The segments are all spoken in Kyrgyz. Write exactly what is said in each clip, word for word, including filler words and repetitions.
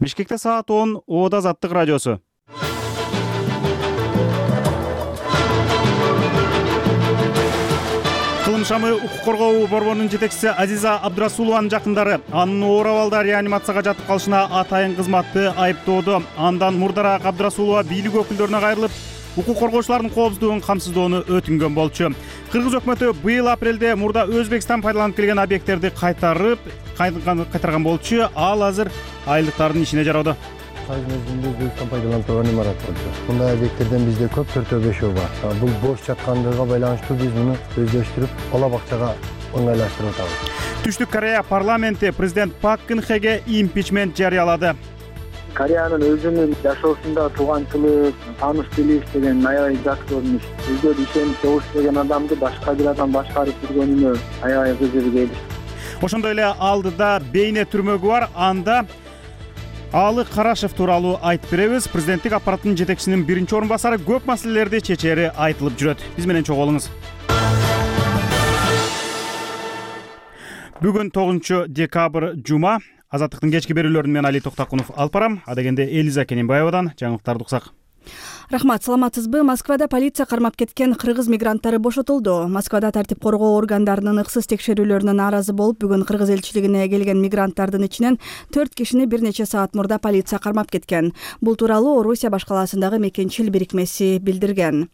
Бишкекте саат он, Оода Азаттык радиосу. Кылым шамы укук коргоо борборунун жетекчиси Азиза Абдрасулованын жакындары анын оор абалда реанимацияга жатып калышына атайын кызматты айыптоодо. Андан мурдараак Абдрасулова бийлик өкүлдөрүнө кайрылып, укук коргоочулардын коопсуздугун камсыздоону өтүнгөн болчу. Кыргыз өкмөтү быйыл апрелде мурда Өзбекстан пайдаланып келген объекттерди кайтарып кайтарган болчу. Ал азыр айылдыктардын ишине жароодо. Кайсы мезгилде Өзбекстан пайдаланып турган имарат болчу. Мындай объекттерден бизде көп төртөө бешөө бар. Бул бош жаткандыгына байланыштуу биз муну өздөштүрүп, ала бакчага оңайлаштырып атабыз. Түштүк Корея парламенти президент Пак Кын Хеге импичмент жарыялады. Кореянын өзүнүн жашоосунда тууганчылык, тааныш билиш деген аябай жакшы көрүнүш. Өзгө ишенип добуш деген адамды башка бир адам башкарып жүргөнүнө аябай кызыгып келиш. Ошондой эле алдыда бейне түрмөгү бар. Анда Алы Карашев тууралуу айтып беребиз. Президенттик аппараттын жетекчисинин биринчи орун басары көп маселелерди чечери айтылып жүрөт. Биз менен чогуу болуңуз. Бүгүн тогузунчу декабрь жума. Азаттыктын кечки берүүлөрүн мен Али Токтакунов алып барам. Адегенде Элиза Кененбаевадан жаңылыктарды уксак. Рахмат, саламатсызбы? Москвада полиция кармап кеткен кыргыз мигранттары бошотулду. Москвада тартип коргоо органдарынын ыксыз текшерүүлөрүнө нааразы болуп, бүгүн кыргыз элчилигине келген мигранттардын ичинен төрт кишини бир нече саат мурда полиция кармап кеткен. Бул тууралуу Орусия башкаласындагы мекенчил бирикмеси билдирген.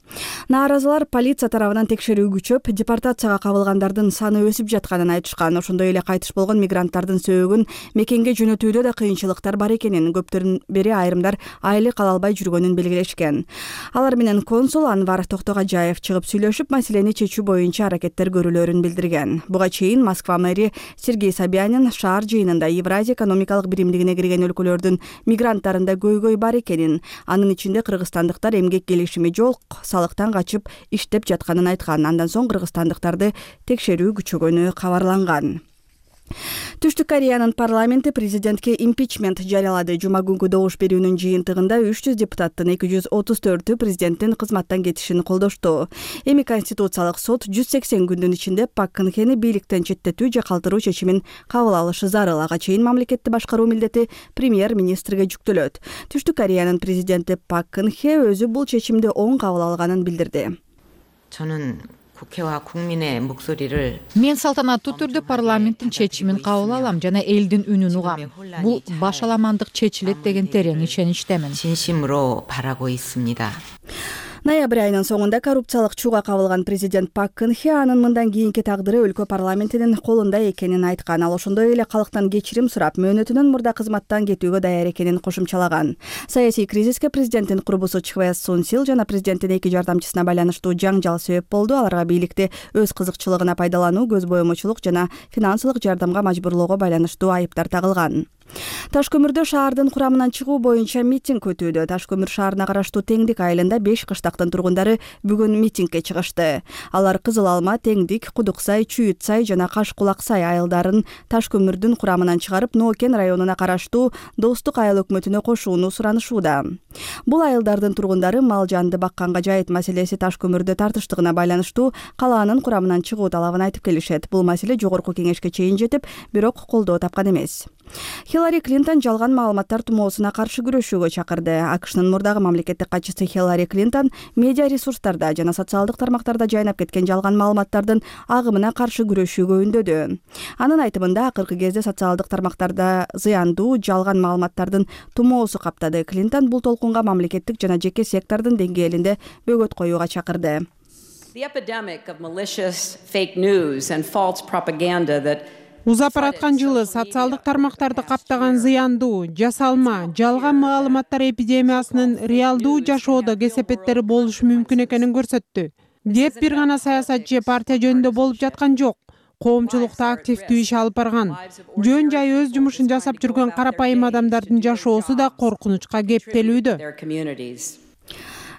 Нааразылар полиция тарабынан текшерүү күчөп, депортацияга кабылгандардын саны өсүп жатканын айтышкан. Ошондой эле кайтыш болгон мигранттардын сөөгүн мекенге жөнөтүүдө да кыйынчылыктар бар экенин, көптөрүн бери айрымдар айылы кала албай жүргөнүн белгилешкен. Алар менен консул Анвар Токтогажаев чыгып сүйлөшүп, маселени чечүү боюнча аракеттер көрүлөрүн билдирген. Буга чейин Москва мэри Сергей Собянин шаар жыйынында Евразия экономикалык биримдигине кирген өлкөлөрдүн мигранттарында көйгөй бар экенин, анын ичинде кыргызстандыктар эмгек келишими жок, салыктан качып иштеп жатканын айткан. Андан соң кыргызстандыктарды текшерүү күчөгөнү кабарланган. Түштүк Кореянын парламенти президентке импичмент жарыялады. Жума күнгү добуш берүүнүн жыйынтыгында үч жүз депутаттын эки жүз отуз төртү президенттин кызматтан кетишин колдошту. Эми Конституциялык сот жүз сексен күндүн ичинде Пак Кын Хени бийликтен четтетүү же калтыруу чечимин кабыл алышы зарыл. Ага чейин мамлекетти башкаруу милдети премьер-министрге жүктөлөт. Түштүк Кореянын президенти Пак Кын Хе өзү бул чечимди оң кабыл алганын билдирди. Мен салтанаттуу түрдө парламенттин чечимин кабыл алам жана элдин үнүн угам. Бул башаламандык чечилет деген терең ишеничтемин. Ноябрь айынын соңунда коррупциялык чууга кабылган президент Пак Кын Хе анын мындан кийинки тагдыры өлкө парламентинин колунда экенин айткан. Ал ошондой эле калктан кечирим сурап, мөөнөтүнөн мурда кызматтан кетүүгө даяр экенин кошумчалаган. Саясий кризиске президенттин курбусу Чхве Сун Сил жана президенттин эки жардамчысына байланыштуу жаңжал себеп болду. Аларга бийликти өз кызыкчылыгына пайдалануу, көз боемочулук жана финансылык жардамга мажбурлоого байланыштуу айыптар тагылган. Таш көмүрдө шаардын курамынан чыгуу боюнча митинг өтүүдө. Таш көмүр шаарына караштуу Теңдик айылында беш кыштактын тургундары бүгүн митингге чыгышты. Алар Кызыл Алма, Теңдик, Кудуксай, Чүйүтсай жана Каш Кулаксай айылдарын таш көмүрдүн курамынан чыгарып, Ноокен районуна караштуу Достук айыл өкмөтүнө кошууну суранышууда. Бул айылдардын тургундары мал жанды бакканга жайыт маселеси таш көмүрдө тартыштыгына байланыштуу калаанын курамынан чыгуу талабын айтып келишет. Бул маселе жогорку кеңешке чейин жетип, бирок колдоо тапкан эмес. Хиллари Клинтон жалган маалыматтар тумоосуна каршы күрөшүүгө чакырды. АКШнын мурдагы мамлекеттик катчысы Хиллари Клинтон медиа ресурстарда жана социалдык тармактарда жайнап кеткен жалган маалыматтардын агымына каршы күрөшүүгө үндөдү. Анын айтымында, акыркы кезде социалдык тармактарда зыяндуу жалган маалыматтардын тумоосу каптады. Клинтон бул толкунга мамлекеттик жана жеке сектордун деңгээлинде бөгөт коюуга чакырды. The epidemic of malicious fake news and false propaganda that Узап араткан жылы социалдык тармактарды каптаган зыяндуу, жасалма, жалган маалыматтар эпидемиясынын реалдуу жашоодо кесепеттери болушу мүмкүн экенин көрсөттү. Деп бир гана саясатчы партия жөнүндө болуп жаткан жок. Коомчулукта активдүү иш алып барган. Жөн жай өз жумушун жасап жүргөн карапайым адамдардын жашоосу да коркунучка кептелүүдө.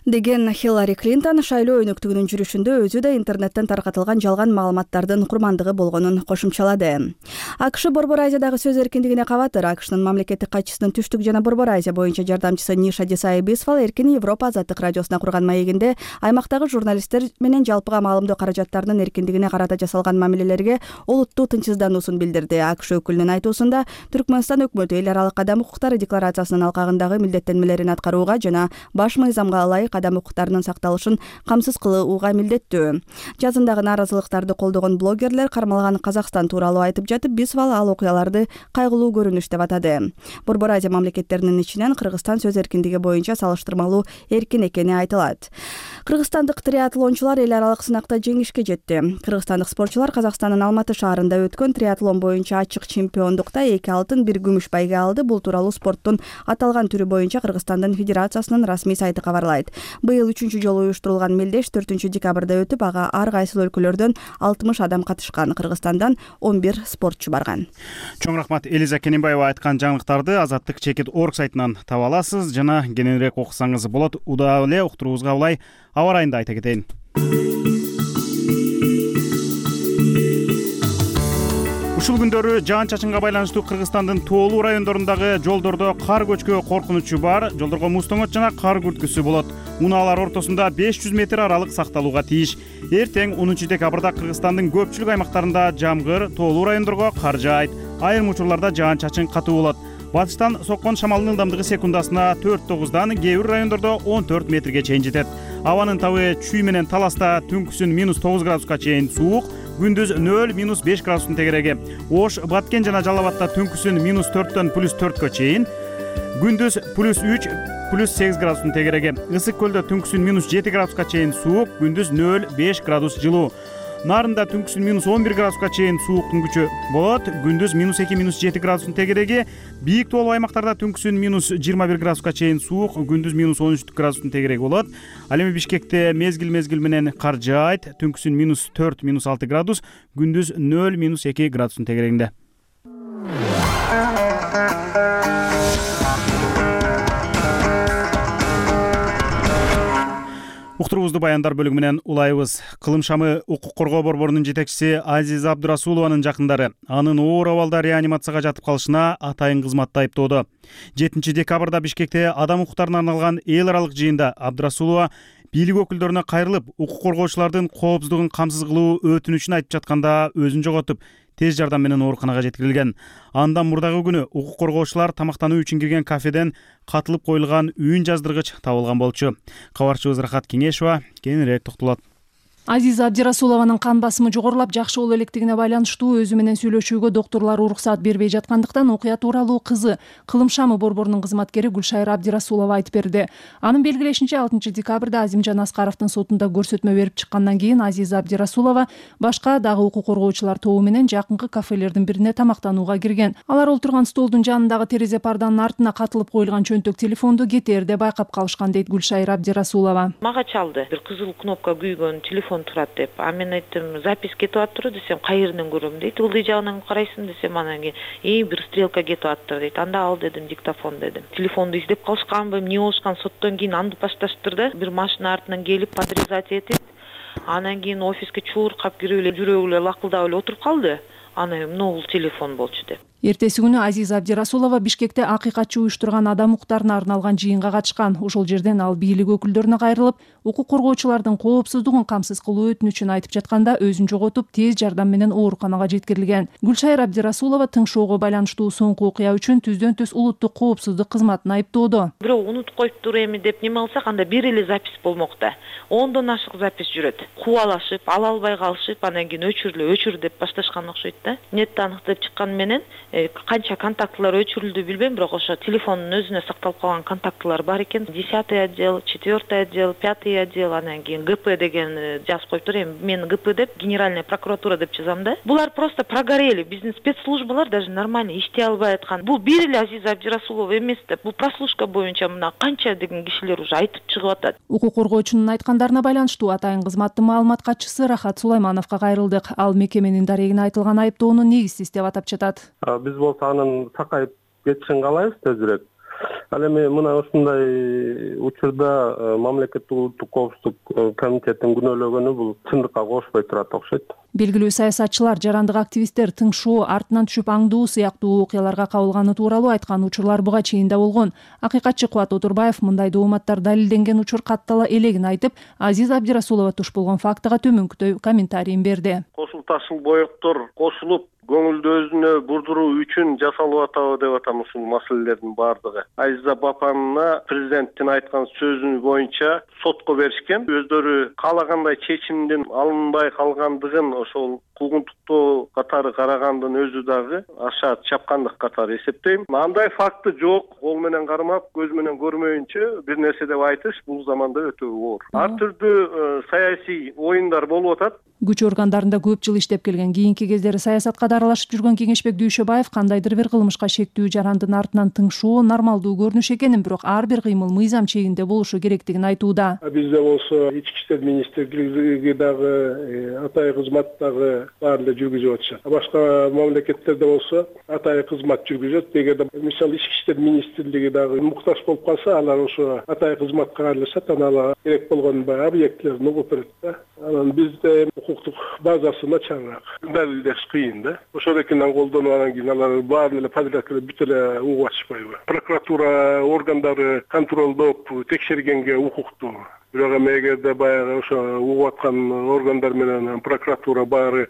деген Хиллари Клинтон шайлоо өнөктүгүнүн жүрүшүндө өзү да интернеттен таркатылган жалган маалыматтардын курмандыгы болгонун кошумчалады. АКШ Борбор Азиядагы сөз эркиндигине кабатыр. АКШнын мамлекеттик катчысынын түштүк жана Борбор Азия боюнча жардамчысы Ниша Десай Бисфал Эркин Европа азаттык радиосуна курган маегинде аймактагы журналисттер менен жалпыга маалымдоо каражаттарынын эркиндигине карата жасалган мамилелерге олуттуу тынчсыздануусун билдирди. АКШ өкүлүнүн айтуусунда Түркмөнстан өкмөтү эл аралык адам укуктары декларациясынын алкагындагы милдеттенмелерин аткарууга жана баш мыйзамга ылайык адам укуктарынын сакталышын камсыз кылууга милдеттүү. Жазындагы нааразылыктарды колдогон блогерлер кармалган Казакстан тууралуу айтып жатып, Бисфал ал окуяларды кайгылуу көрүнүш деп атады. Борбор Азия мамлекеттеринин ичинен Кыргызстан сөз эркиндиги боюнча салыштырмалуу эркин экени айтылат. Кыргызстандык триатлончулар эл аралык сынакта жеңишке жетти. Кыргызстандык спортчулар Казакстандын Алматы шаарында өткөн триатлон боюнча ачык чемпиондукта эки алтын, бир күмүш байге алды. Бул тууралуу спорттун аталган түрү боюнча Кыргызстандын федерациясынын расмий сайты кабарлайт. Быйыл үчүнчү жолу уюштурулган мелдеш төртүнчү декабрда өтүп, ага ар кайсыл өлкөлөрдөн алтымыш адам катышкан. Кыргызстандан он бир спортчу барган. Чоң рахмат. Элиза Кененбаева айткан жаңылыктарды азаттык чекит точка орг сайтынан таба аласыз жана кененирээк окусаңыз болот. Удаа эле уктуруубузга улай аба ырайында айта кетейин. Ушул күндөрү жаан-чачынга байланыштуу Кыргызстандын тоолуу райондорундагы жолдордо кар көчкү коркунучу бар. Жолдорго муз тоңот жана кар күрткүсү болот. Унаалар ортосунда беш жүз метр аралык сакталууга тийиш. Эртең онунчу декабрда Кыргызстандын көпчүлүк аймактарында жамгыр, тоолуу райондорго кар жаайт. Айрым учурларда жаан-чачын катуу болот. Батыштан соккон шамалдын ылдамдыгы секундасына төрт тогуздан, кээ бир райондордо он төрт метрге чейин жетет. Абанын табы чүй менен таласта түнкүсүн минус тогуз градуска чейин суук, күндүз нөл минус беш градустун тегереги. Ош, Баткен жана Жалал Абадта түнкүсүн минус төрттөн плюс төрткө чейин, күндүз плюс үч плюс сегиз градустун тегереги. Ысык көлдө түнкүсүн минус жети градуска чейин суук, күндүз нөл беш градус жылуу. Нарында түнкүсүн минус он бир градуска чейин сууктун күчү болот, күндүз минус эки минус жети градустун тегереги. Бийик тоолуу аймактарда түнкүсүн минус жыйырма бир градуска чейин суук, күндүз минус он үч градустун тегереги болот. Ал эми Бишкекте мезгил-мезгил менен кар жаайт, түнкүсүн минус төрт минус алты градус, күндүз нөл минус эки градустун тегерегинде. Уктуруубузду баяндар бөлүгү менен улайбыз. Кылым шамы укук коргоо борборунун жетекчиси Азиза Абдрасулованын жакындары анын оор абалда реанимацияга жатып калышына атайын кызматты айыптоодо. жетинчи декабрда Бишкекте адам укуктарына арналган эл аралык жыйында Абдрасулова бийлик өкүлдөрүнө кайрылып, укук коргоочулардын коопсуздугун камсыз кылуу өтүнүчүн айтып жатканда өзүн жоготуп, тез жардам менен ооруканага жеткирилген. Андан мурдагы күнү укук коргоочулар тамактануу үчүн кирген кафеден катылып коюлган үн жаздыргыч табылган болчу. Кабарчыбыз Рахат Кеңешова кененирээк токтолот. Азиза Абдрасулованын кан басымы жогорулап, жакшы боло электигине байланыштуу өзү менен сүйлөшүүгө доктурлар уруксаат бербей жаткандыктан окуя тууралуу кызы Кылым шамы борборунун кызматкери Гүлшайра Абдрасулова айтып берди. Анын белгилешинче алтынчы декабрда Азимжан Аскаровдун сотунда көрсөтмө берип чыккандан кийин Азиза Абдрасулова башка дагы укук коргоочулар тобу менен жакынкы кафелердин бирине тамактанууга кирген. Алар отурган столдун жанындагы терезе парданын артына катылып коюлган чөнтөк телефонду кетээрде байкап калышкан дейт Гүлшайра Абдрасулова. Мага чалды. Бир кызыл кнопка күйгөн телефон турат деп. А мен айттым, запись кетип аттыр десем, кайерден көрөм дейт. Ылдый жагынан карайсың десем, анан кийин "Эй, бир стрелка кетип аттыр" дейт. Анда ал дедим, диктофон дедим. Телефонду издеп калышканбы, эмне болушкан, соттон кийин андып башташтыр да. Бир машина артынан келип подрезать этип, анан кийин офиске чууркап кирип эле жүрөгү эле лакылдап эле отуруп калды. Аны эмне бул телефон болчу деп. Эртеси күнү Азиза Абдрасулова Бишкекте акыйкатчы уюштурган адам укуктарына арналган жыйынга катышкан. Ошол жерден ал бийлик өкүлдөрүнө кайрылып, укук коргоочулардын коопсуздугун камсыз кылуу өтүнүчүн айтып жатканда өзүн жоготуп, тез жардам менен ооруканага жеткирилген. Гүлшайра Абдрасулова тыңшоого байланыштуу соңку окуя үчүн түздөн түз улуттук коопсуздук кызматын айыптоодо. Бирөө унутуп коюптур эми деп неме кылсак, анда бир эле запись болмок да. ондон ашык запись жүрөт. Кубалашып, ала албай калышып, анан кийин өчүрлө, өчүр деп башташкан окшойт да. Нетте аныктап чыккан менен канча контактылар өчүрүлдү билбейм, бирок ошо телефондун өзүнө сакталып калган контактылар бар экен. десятый отдел, четвертый отдел, пятый отдел, анан кийин ГП деген жазып коюптур. Эми мен ГП деп, генеральная прокуратура деп жазам да. Булар просто прогорели. Биздин спецслужбалар даже нормально иштей албай аткан. Бул бир эле Азиза Абдрасулова эмес деп, бул прослушка боюнча мына канча деген кишилер уже айтып чыгып атат. Укук коргоочунун айткандарына байланыштуу атайын кызматтын маалымат катчысы Рахат Сулаймановго кайрылдык. Ал мекеменин дарегине айтылган айыптоону негизсиз деп атап жатат. Биз болсо анын сакайып кетишин каалайбыз тезирээк. Ал эми мына ушундай учурда мамлекеттик улуттук коопсуздук комитетинин күнөөлөгөнү бул чындыкка кошпой турат окшойт. Белгилүү саясатчылар, жарандык активисттер тыңшоо, артынан түшүп аңдуу сыяктуу окуяларга кабылганы тууралуу айткан учурлар буга чейин да болгон. Акыйкатчы Кубат Отурбаев мындай дооматтар далилденген учур каттала элегин айтып, Азиза Абдирасулова туш болгон фактыга төмөнкүдөй комментарийин берди. Кошул ташыл боектор кошулуп көңүлдү өзүнө бурдуруу үчүн жасалып атабы деп атам ушул маселелердин баардыгы. Азиза Бапанына президенттин айткан сөзү боюнча сотко беришкен. Өздөрү каалагандай чечимдин алынбай калгандыгын ошол куугунтуктоо катары карагандын өзү дагы аша чапкандык катары эсептейм. Андай факты жок. Кол менен кармап, көз менен көрмөйүнчө бир нерсе деп айтыш бул заманда өтө оор. Ар түрдүү саясий оюндар болуп атат. Күч органдарында көп жыл иштеп келген, кийинки кездери саясатка да аралашып жүргөн Кеңешбек Дүйшөбаев кандайдыр бир кылмышка шектүү жарандын артынан тыңшоо нормалдуу көрүнүш экенин, бирок ар бир кыймыл мыйзам чегинде болушу керектигин айтууда. Бизде болсо ички иштер министрлиги дагы, атайы кызмат дагы баары эле жүргүзүп атышат. Башка мамлекеттерде болсо атайы кызмат жүргүзөт. Эгерде мисалы ички иштер министрлиги дагы муктаж болуп калса, алар ошо атайы кызматка кайрылышат, анан алар керек болгон объектилерин угуп берет да. Анан бизде укуктук базасы начарыраак. Далилдеш кыйын да. Ошол экенин колдонуп анан кийин алар баары эле подряд эле бүт эле угуп атышпайбы. Прокуратура органдары контролдоп текшергенге укуктуу. Бирок эми эгерде баягы ошо угуп аткан органдар менен прокуратура баары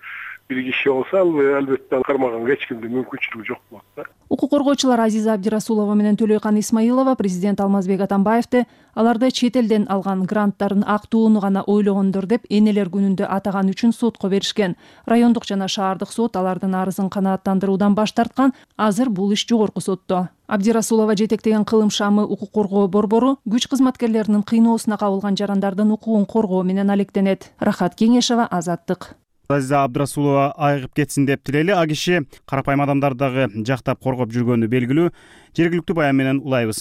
бир киши болсо, албетте кармаганга эч кимдин мүмкүнчүлүгү жок болот да. Укук коргоочулар Азиза Абдирасулова менен Төлөйкан Исмаилова президент Алмазбек Атамбаевди аларды чет элден алган гранттарын актууну гана ойлогондор деп энелер күнүндө атаган үчүн сотко беришкен. Райондук жана шаардык сот алардын арызын канааттандыруудан баш тарткан. Азыр бул иш жогорку сотто. Абдирасулова жетектеген кылым шамы укук коргоо борбору күч кызматкерлеринин кыйноосуна кабылган жарандардын укугун коргоо менен алектенет. Рахат Кеңешова, Азаттык. Азиза Абдирасулова айыгып кетсин деп тилели. А киши карапайым адамдарды дагы жактап коргоп жүргөнү белгилүү. Жергиликтүү баян менен улайбыз.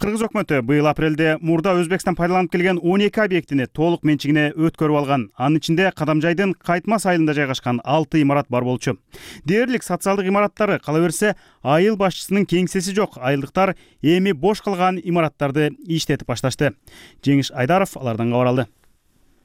Кыргыз өкмөтү быйыл апрелде мурда Өзбекстан пайдаланып келген он эки объектини толук менчигине өткөрүп алган. Анын ичинде Кадамжайдын Кайтмас айылында жайгашкан алты имарат бар болчу. Дээрлик социалдык имараттары кала берсе, айыл башчысынын кеңсеси жок. Айылдыктар эми бош калган имараттарды иштетип башташты. Жеңиш Айдаров алардан кабар алды.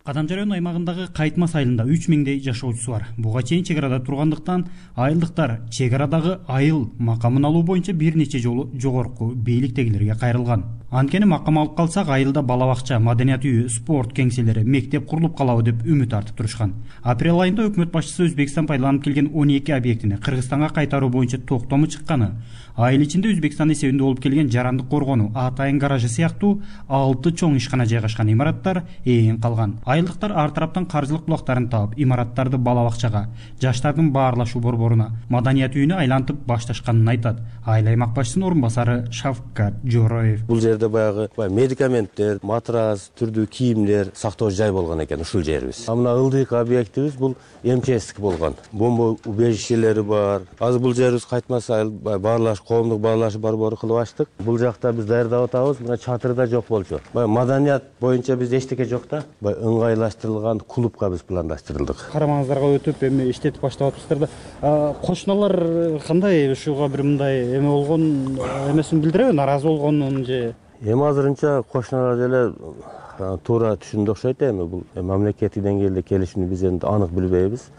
Кадамжай району аймагындагы Кайтмас айылында үч миңдей жашоочусу бар. Буга чейин чек арада тургандыктан айылдыктар чек арадагы айыл макамын алуу боюнча бир нече жолу жогорку бийликтегилерге кайрылган. Анткени макам алып калсак айылда бала бакча, маданият үйү, спорт кеңселери, мектеп курулуп калабы деп үмүт артып турушкан. Апрель айында өкмөт башчысы Өзбекстан пайдаланып келген он эки объектини Кыргызстанга кайтаруу боюнча токтому чыкканы, айыл ичинде Өзбекстан эсебинде болуп келген жарандык коргонуу, атайын гаражы сыяктуу алты чоң ишкана жайгашкан имараттар ээн калган. Айылдыктар ар тараптан каржылык булактарын таап, имараттарды бала бакчага, жаштардын баарлашуу борборуна, маданият үйүнө айлантып башташканын айтат. Айыл аймак башчысынын орун басары Шавкат Жороев. Бул жерде баягы медикаменттер, матрас, түрдүү кийимдер сактоо жай болгон экен ушул жерибиз. Мына ылдыйкы объектибиз бул МЧСтик болгон. Бомба убежищелери бар. Азыр бул жерибиз Кайтмас айыл баарлаш коомдук баарлашуу борбору кылып ачтык. Бул жакта биз даярдап атабыз. Мына чатыры да жок болчу. Баягы маданият боюнча биз эчтеке жок да. Баягы ыңгайлаштырылган клубка биз пландаштырылдык. Карамаңыздарга өтүп эми иштетип баштап атыпсыздар да. Кошуналар кандай ушуга бир мындай эме болгон эмесин билдиреби? Наразы болгонун же? Эми азырынча кошуналар деле туура түшүндү окшойт. Эми бул мамлекеттик деңгээлде келишимди биз эми анык билбейбиз.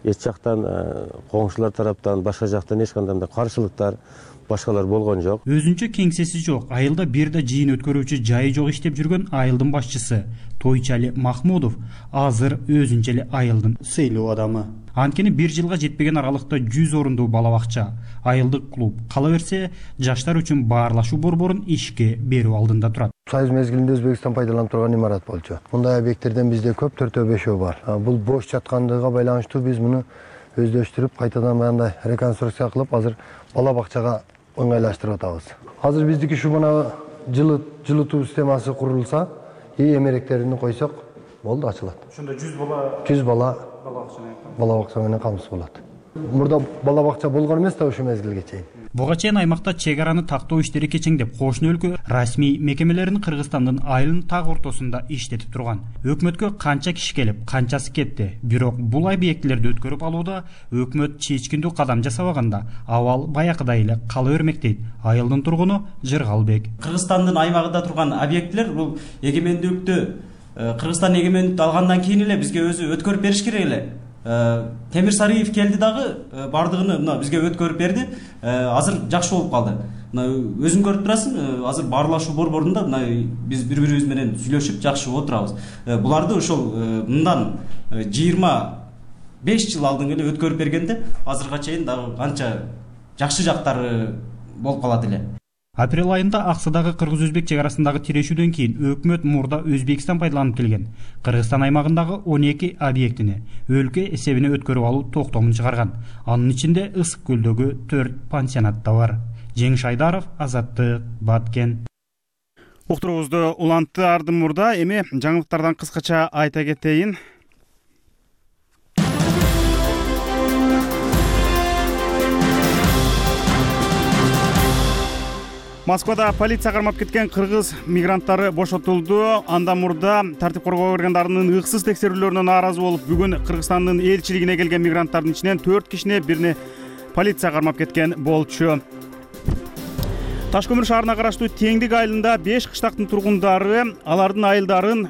Эч жактан коңшулар тараптан, башка жактан эч кандай каршылыктар, башкалар болгон жок. Өзүнчө кеңсеси жок, айылда бир да жыйын өткөрүүчү жайы жок иштеп жүргөн айылдын башчысы Тойчали Махмудов азыр өзүнчө эле айылдын сыйлуу адамы. Анткени бир жылга жетпеген аралыкта жүз орундуу бала бакча, айылдык клуб, кала берсе жаштар үчүн баарлашуу борборун ишке берүү алдында турат. Союз мезгилинде Өзбекстан пайдаланып турган имарат болчу. Мындай объекттерден бизде көп, төртөө бешөө бар. Бул бош жаткандыгына байланыштуу биз муну өздөштүрүп, кайтадан мындай реконструкция кылып, азыр бала бакчага ыңгайлаштырып атабыз. Азыр биздики ушу мына жылытуу системасы курулса, и эмеректерин койсок, болду, ачылат. Ошондо жүз бала жүз бала бала бакча менен бала бакча менен камсыз болот. Мурда бала бакча болгон эмес да ушул мезгилге чейин. Буга чейин аймакта чек араны тактоо иштери кечеңдеп, кошуна өлкө расмий мекемелерин Кыргызстандын айылын так ортосунда иштетип турган. Өкмөткө канча киши келип, канчасы кетти. Бирок бул объектилерди өткөрүп алууда өкмөт чечкиндүү кадам жасабаганда, абал баякыдай эле кала бермек дейт айылдын тургуну Жыргалбек. Кыргызстандын аймагында турган объектилер бул эгемендүүлүктү Кыргызстан эгемендүүлүктү алгандан кийин эле бизге өзү өткөрүп бериш керек эле. Темир Сариев келди дагы бардыгын мына бизге өткөрүп берди. Азыр жакшы болуп калды. Мына өзүң көрүп турасың, азыр баарлашуу борборунда мына биз бири-бирибиз менен сүйлөшүп жакшы отурабыз. Буларды ошол мындан жыйырма беш жыл алдын эле өткөрүп бергенде азырга чейин дагы канча жакшы жактары болуп калат эле. Апрель айында Аксыдагы кыргыз-өзбек чек арасындагы тирешүүдөн кийин өкмөт мурда Өзбекстан пайдаланып келген Кыргызстан аймагындагы он эки объектини өлкө эсебине өткөрүп алуу токтомун чыгарган. Анын ичинде Ысык көлдөгү төрт пансионат да бар. Жеңиш Айдаров, Азаттык, Баткен. Уктуруубузду улантты ардын мурда, эми жаңылыктардан кыскача айта кетейин. Москвада полиция кармап кеткен кыргыз мигранттары бошотулду. Андан мурда тартип коргоо органдарынын ыксыз текшерүүлөрүнө нааразы болуп, бүгүн Кыргызстандын элчилигине келген мигранттардын ичинен төрт кишини бирини полиция кармап кеткен болчу. Ташкөмүр шаарына караштуу Теңдик айылында беш кыштактын тургундары алардын айылдарын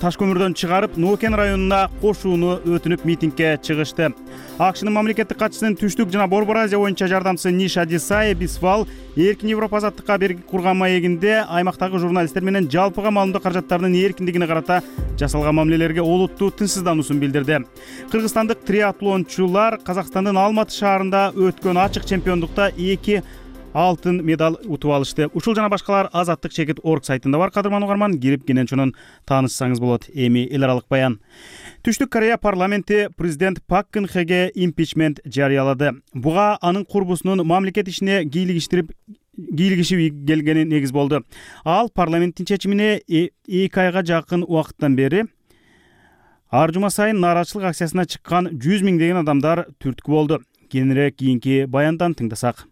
Ташкөмүрдөн чыгарып, Нуукен районуна кошууну өтүнүп митингге чыгышты. АКШнын мамлекеттик катчысынын түштүк жана Борбор Азия боюнча жардамчысы Ниша Дисай Бисвал эркин Европа азаттыкка берги курган маегинде аймактагы журналисттер менен жалпыга маалымдоо каражаттарынын эркиндигине карата жасалган мамилелерге олуттуу тынчсыздануусун билдирди. Кыргызстандык триатлончулар Казакстандын Алматы шаарында өткөн ачык чемпиондукта эки алтын медаль утуп алышты. Ушул жана башкалар Азаттык чекит орг сайтында бар. Кадырман угарман, кирип кенен чонун таанышсаңыз болот. Эми эл аралык баян. Түштүк Корея парламенти президент Пак Кын Хеге импичмент жарыялады. Буга анын курбусунун мамлекет ишине кийлигиштирип кийлигишип келгени негиз болду. Ал парламенттин чечимине эки айга жакын убакыттан бери ар жума сайын нааразычылык акциясына чыккан жүз миңдеген адамдар түрткү болду. Кийинирээк кийинки баяндан тыңдасак.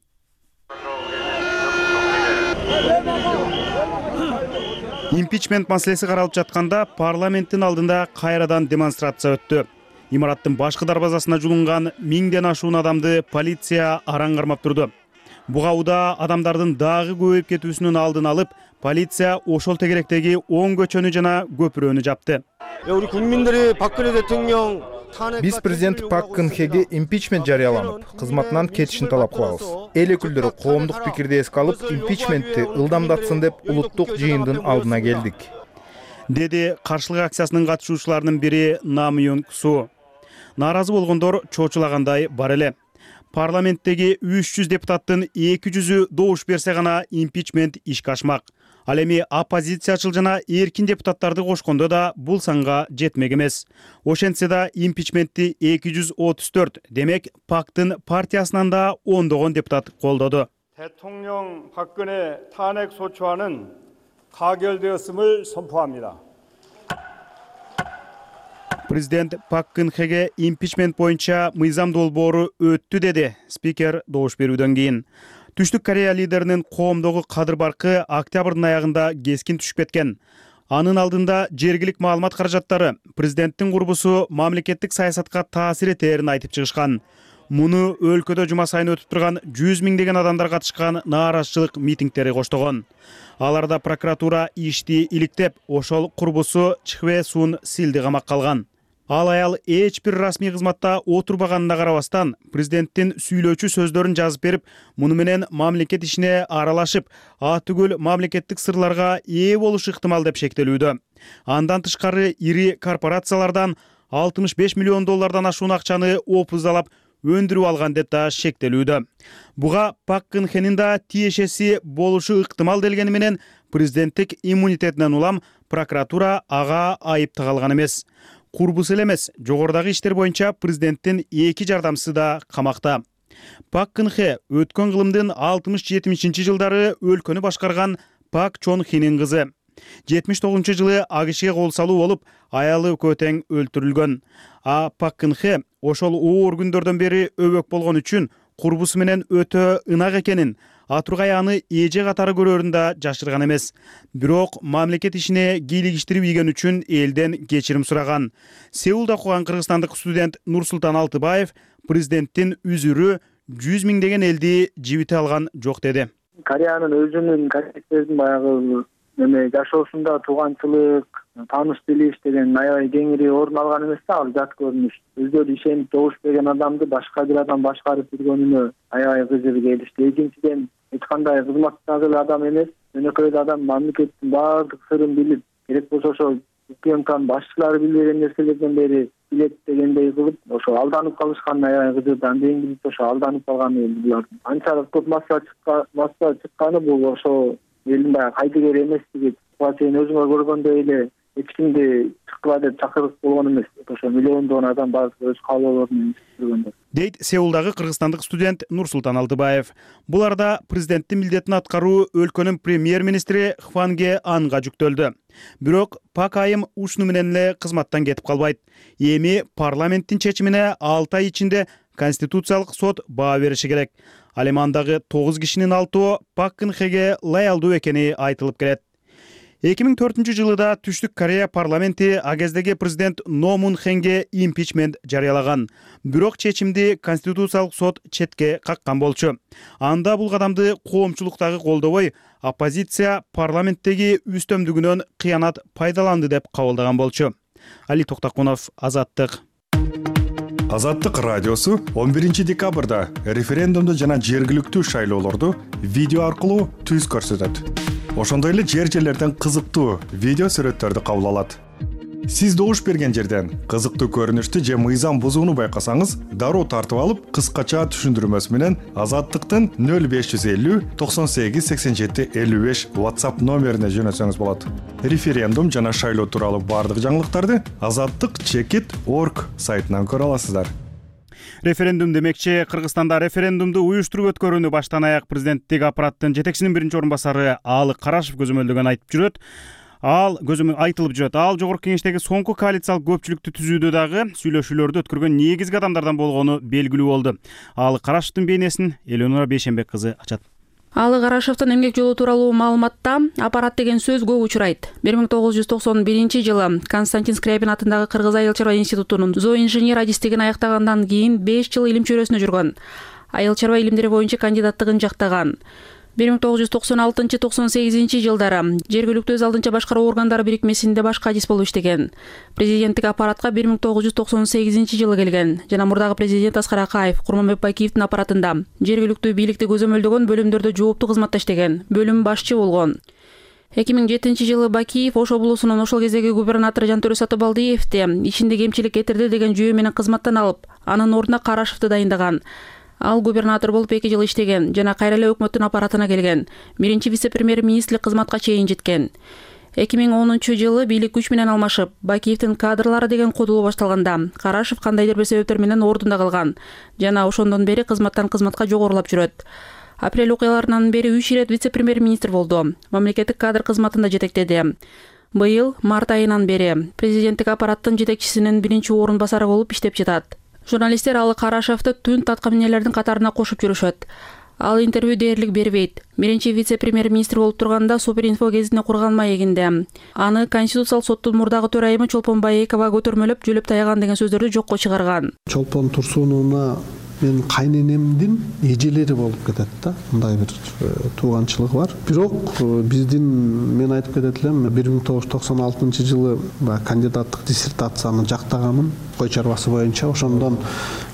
Импичмент маселеси каралып жатканда парламенттин алдында кайрадан демонстрация өттү. Имараттын башкы дарбазасына жулунган миңден ашуун адамды полиция араң кармап турду. Буга уда адамдардын дагы көбөйүп кетүүсүнүн алдын алып, полиция ошол тегеректеги оң көчөнү жана көпүрөнү жапты. Биз президент Пак Кын Хеге импичмент жарыяланып, кызматынан кетишин талап кылабыз. Эл өкүлдөрү коомдук пикирди эске алып, импичментти ылдамдатсын деп улуттук жыйындын алдына келдик, деди каршылык акциясынын катышуучуларынын бири Нам Юн Су. Нааразы болгондор чочулагандай бар эле. Парламенттеги үч жүз депутаттын эки жүзү добуш берсе гана импичмент ишке ашмак. Ал эми оппозициячыл жана эркин депутаттарды кошкондо да бул санга жетмек эмес. Ошентсе да импичментти эки жүз отуз төрт, демек Пактын партиясынан да ондогон депутат колдоду. 대통령 박근혜 탄핵 소추안은 가결되었음을 선포합니다. Президент Пак Кын Хеге импичмент боюнча мыйзам долбоору өттү, деди спикер добуш берүүдөн кийин. Түштүк Корея лидеринин коомдогу кадыр баркы октябрдын аягында кескин түшүп кеткен. Анын алдында жергилик маалымат каражаттары президенттин курбусу мамлекеттик саясатка таасир этерин айтып чыгышкан. Муну өлкөдө жума сайын өтүп турган жүз миңдеген адамдар катышкан нааразычылык митингдери коштогон. Аларда прокуратура ишти иликтеп, ошол курбусу Чхве Сун Силди камакка алган. Ал аял эч бир расмий кызматта отурбаганына карабастан, президенттин сүйлөөчү сөздөрүн жазып берип, муну менен мамлекет ишине аралашып, атүгүл мамлекеттик сырларга ээ болушу ыктымал деп шектелүүдө. Андан тышкары ири корпорациялардан алтымыш беш миллион доллардан ашуун акчаны опуздалап өндүрүп алган деп да шектелүүдө. Буга Пак Кын Хенин да тиешеси болушу ыктымал делгени менен президенттик иммунитетинен улам прокуратура ага айып тагалган эмес. Курбус эле эмес, жогорудагы иштер боюнча президенттин эки жардамчысы да камакта. Пак Кын Хе өткөн кылымдын алтымыш жетимишинчи жылдары өлкөнү башкарган Пак Чон Хинин кызы. жетимиш тогузунчу жылы АКШге кол салуу болуп, аялы экөө тең өлтүрүлгөн. А Пак Кын Хе ошол оор күндөрдөн бери өбөк болгон үчүн курбусу менен өтө ынак экенин, Атургай аны эже катары көрөрүн да жашырган эмес. Бирок мамлекет ишине кийлигиштирип ийген үчүн элден кечирим сураган. Сеулда окуган кыргызстандык студент Нурсултан Алтыбаев президенттин үзүрү жүз миңдеген элди жибите алган жок деди. Кореянын өзүнүн кореецтердин баягы эме жашоосунда тууганчылык, тааныш билиш деген аябай кеңири орун алган эмес да, ал жат көрүнүш. Өздөрү ишенип добуш берген адамды башка бир адам башкарып жүргөнүнө аябай кызыгып келишти. Экинчиден эч кандай кызматтагы эле адам эмес, өнөкөй адам мамлекеттин баардык сырын билип, керек болсо ошо УКМКнын башчылары билбеген нерселерден бери билет дегендей кылып, ошо алданып калышкан аябай кызык. Анден кийин ошо алданып калганы булар. Анчалык көп масса чыккан, масса чыкканы бул ошо элдин баягы кайдыгер эместиги. Буга чейин өзүңөр көргөндөй эле эч кимди чыккыла деп чакырып болгон эмес. Ошо миллиондогон адам баардык өз каалоолору менен жүргөндөр. Дейт Сеулдагы кыргызстандык студент Нурсултан Алтыбаев. Бул арада президенттин милдетин аткаруу өлкөнүн премьер-министри Хванге Анга жүктөлдү. Бирок Пак айым ушуну менен эле кызматтан кетип калбайт. Эми парламенттин чечимине алты ай ичинде Конституциялык сот баа бериши керек. Ал эми андагы тогуз кишинин алтоо Пак Кын Хеге лаялдуу экени айтылып келет. эки миң төртүнчү жылы да Түштүк Корея парламенти а кездеги президент Но Мун Хенге импичмент жарыялаган. Бирок чечимди Конституциялык сот четке каккан болчу. Анда бул кадамды коомчулуктагы колдобой, оппозиция парламенттеги үстөмдүгүнөн кыянат пайдаланды деп кабылдаган болчу. Али Токтакунов, Азаттык. Азаттык радиосу он биринчи декабрда референдумду жана жергиликтүү шайлоолорду видео аркылуу түз көрсөтөт. Ошондой эле жер жерлерден кызыктуу видео сүрөттөрдү кабыл алат. Сиз добуш берген жерден кызыктуу көрүнүштү же мыйзам бузууну байкасаңыз, дароо тартып алып, кыскача түшүндүрмөсү менен Азаттыктын нөл беш жүз элүү токсон сегиз сексен жети элүү беш WhatsApp номерине жөнөтсөңүз болот. Референдум жана шайлоо тууралуу бардык жаңылыктарды азаттык чекит точка орг сайтынан көрө аласыздар. Референдум демекчи, Кыргызстанда референдумду уюштуруп өткөрүүнү баштан аяк президенттик аппараттын жетекчисинин биринчи орун басары Аалы Карашев көзөмөлдөгөн айтып жүрөт. Ал көзөмөл айтылып жүрөт. Ал жогорку кеңештеги соңку коалициялык көпчүлүктү түзүүдө дагы сүйлөшүүлөрдү өткөргөн негизги адамдардан болгону белгилүү болду. Аалы Карашевдин бейнесин Эленора Бейшенбек кызы ачат. Аалы Карашевдин эмгек жолу тууралуу маалыматта аппарат деген сөз көп учурайт. бир миң тогуз жүз токсон биринчи жылы Константин Скрябин атындагы Кыргыз айыл чарба институтунун зооинженер адистигин аяктагандан кийин беш жыл илим чөйрөсүнө жүргөн. Айыл чарба илимдери боюнча кандидаттыгын жактаган. бир миң тогуз жүз токсон алтынчы токсон сегизинчи жылдары жергиликтүү өз алдынча башкаруу органдары бирикмесинде башкы адис болуп иштеген. Президенттик аппаратка бир миң тогуз жүз токсон сегизинчи жылы келген жана мурдагы президент Аскар Акаев Курманбек Бакиевдин аппаратында жергиликтүү бийликти көзөмөлдөгөн бөлүмдөрдө жооптуу кызматта иштеген, бөлүм башчы болгон. эки миң жетинчи жылы Бакиев Ош облусунун ошол кездеги губернатору Жантөре Сатыбалдиевди ишинде кемчилик кетирди деген жүйө менен кызматтан алып, анын ордуна Карашевди дайындаган. Ал губернатор болуп эки жыл иштеген жана кайра эле өкмөттүн аппаратына келген. Биринчи вице-премьер-министрлик кызматка чейин жеткен. эки миң онунчу жылы бийлик күч менен алмашып, Бакиевдин кадрлары деген кодулоо башталганда, Карашев кандайдыр бир себептер менен ордунда калган жана ошондон бери кызматтан кызматка жогорулап жүрөт. Апрель окуяларынан бери үч ирет вице-премьер-министр болду. Мамлекеттик кадр кызматында жетектеди. Быйыл март айынан бери президенттик аппараттын жетекчисинин биринчи орун басары болуп иштеп жатат. Журналисттер Аалы Карашевди түн таткаминелердин катарына кошуп жүрүшөт. Ал интервью дээрлик бербейт. Биринчи вице-премьер-министр болуп турганда Суперинфо гезитине курган маегинде аны Конституциялык соттун мурдагы төрайымы Чолпон Баекова көтөрмөлөп жөлөп таяган деген сөздөрдү жокко чыгарган. Чолпон Турсуновна мен кайненемдин эжелери болуп кетет да. Мындай бир тууганчылык бар. Бирок биздин мен айтып кетет элем бир миң тогуз жүз токсон алтынчы жылы кандидаттык диссертацияны жактаганмын кой чарбасы боюнча. Ошондон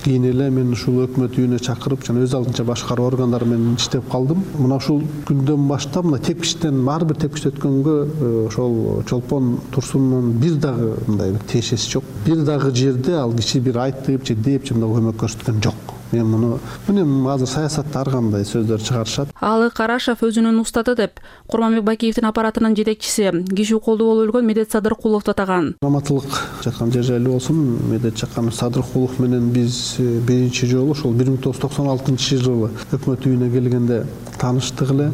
кийин эле мен ушул өкмөт үйүнө чакырып жана өз алдынча башкаруу органдары менен иштеп калдым. Мына ушул күндөн баштап мына тепкичтен ар бир тепкичти өткөнгө ошол Чолпон Турсуновдун бир дагы мындай бир тиешеси жок. Бир дагы жерде ал киши бир айтып же деп же мындай көмөк көрсөткөн жок. Мен муну мына азыр саясатта ар кандай сөздөр чыгарышат. Аалы Карашев өзүнүн устаты деп Курманбек Бакиевдин аппаратынын жетекчиси киши колдуу болуп өлгөн Медет Садыркуловду атаган. Раматылык жаткан жер жайлуу болсун, Медет Жакан Садыркулов менен биз биринчи жолу ошол бир миң тогуз жүз токсон алтынчы жылы өкмөт үйүнө келгенде тааныштык эле.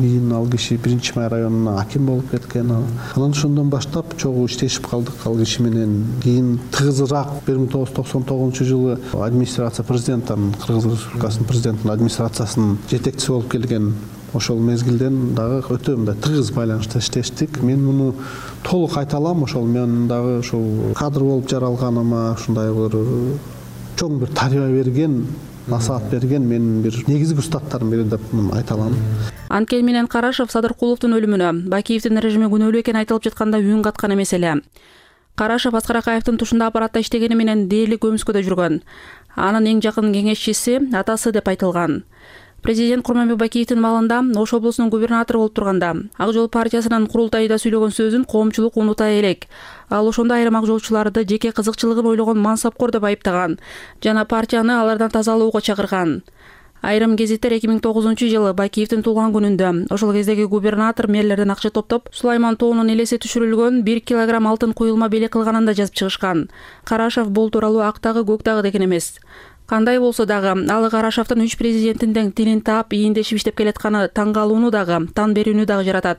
кийин ал киши биринчи май районуна аким болуп кеткен. Анан ошондон баштап чогуу иштешип калдык ал киши менен. Кийин тыгызыраак бир миң тогуз жүз токсон тогузунчу жылы администрация президенттин, Кыргыз Республикасынын президентинин администрациясынын жетекчиси болуп келген. Ошол мезгилден дагы өтө мындай тыгыз байланышта иштештик. Мен муну толук айта алам. Ошол мен дагы ушул кадр болуп жаралганыма ушундай бир чоң бир тарбия берген, насаат берген менин бир негизги устаттарым бири деп айта алам. Анткени менен Карашев Садыркуловдун өлүмүнө Бакиевдин режими күнөөлүү экени айтылып жатканда үн каткан эмес эле. Карашев Аскар Акаевдин тушунда аппаратта иштегени менен дээрлик көмүскөдө жүргөн. Анын эң жакын кеңешчиси атасы деп айтылган. Президент Курманбек Бакиевдин маалында Ош облусунун губернатору болуп турганда Ак жол партиясынын курултайда сүйлөгөн сөзүн коомчулук унута элек. Ал ошондо айрым ак жолчуларды жеке кызыкчылыгын ойлогон мансапкор деп айыптаган жана партияны алардан тазалоого чакырган. Айрым гезиттер эки миң тогузунчу жылы Бакиевдин туулган күнүндө ошол кездеги губернатор мэрлерден акча топтоп Сулайман тоонун элеси түшүрүлгөн бир килограмм алтын куюлма белек кылганын да жазып чыгышкан. Карашев бул тууралуу ак дагы көк дагы деген эмес. Кандай болсо дагы ал Карашевдин үч президенттин тилин таап ийиндешип иштеп келатканы таң калууну дагы, тан берүүнү дагы жаратат.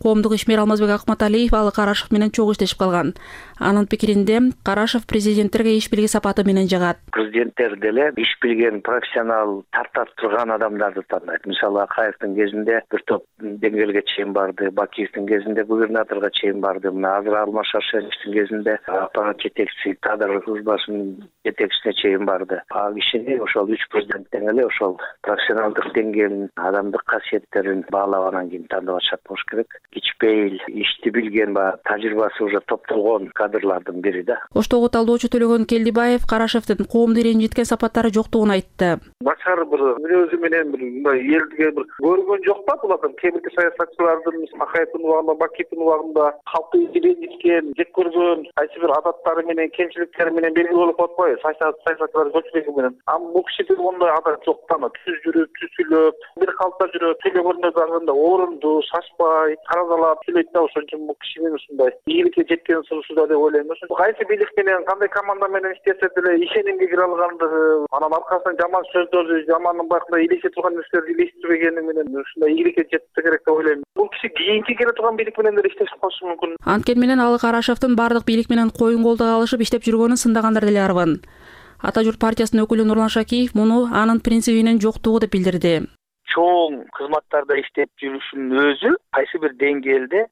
Коомдук ишмер Алмазбек Акматалиев ал Карашев менен чогуу иштешип калган. Анын пикиринде Карашев президенттерге иш билги сапаты менен жагат. Президенттер деле иш билген, профессионал, тартап турган адамдарды тандайт. Мисалы Акаевдин кезинде бир топ деңгээлге чейин барды, Бакиевдин кезинде губернаторго чейин барды. Мына азыр Алмаз Шаршеновдин кезинде аппарат жетекчиси, кадр службасынын жетекчисине чейин барды. Кишини ошол үч президенттен эле ошол профессионалдык деңгээлин, адамдык касиеттерин баалап анан кийин тандап атышат болуш керек. Кичпейил, ишти билген, баягы тажрыйбасы уже топтолгон кадрлардын бири да. Оштогу талдоочу Төлөгөн Келдибаев Карашевдин коомду ренжиткен сапаттары жоктугун айтты. Начар бир мүнөзү менен бир мындай элдиге бир көргөн жок да бул адам. Кээ саясатчылардын Акаевдин убагында, Бакиевдин убагында калкты ренжиткен, жек көргөн, кайсы бир адаттары менен, кемчиликтери менен белгилүү болуп атпайбы? Саясатчылар көчмөгү менен. Ам бул кишиде ондай адам жок да. Түз жүрүп, түз сүйлөп, бир калпта жүрөт, сүйлөгөндө дагы орунду, шашпай, каразалап сүйлөйт да. Ошон үчүн бул кишинин ушундай ийгиликке жеткен сырсуда деп ойлойм. Кайсы бийлик менен, кандай команда менен иштесе деле ишенимге кире алгандыгы, анан аркасынан жаман сөздөрдү, жамандын бакында илеше турган нерселерди илештирбегени менен ушундай ийгиликке жетсе керек деп ойлойм. Бул киши кийинки келе турган бийлик менен деле иштешип калышы мүмкүн. Анткени менен ал Карашевдин бардык бийлик менен коюн колдо алышып иштеп жүргөнүн сындагандар деле арбын. Ата журт партиясынын өкүлү Нурлан Шакиев муну анын принцибинин жоктугу деп билдирди. Чоң кызматтарда иштеп жүрүшүнүн өзү кайсы бир деңгээлде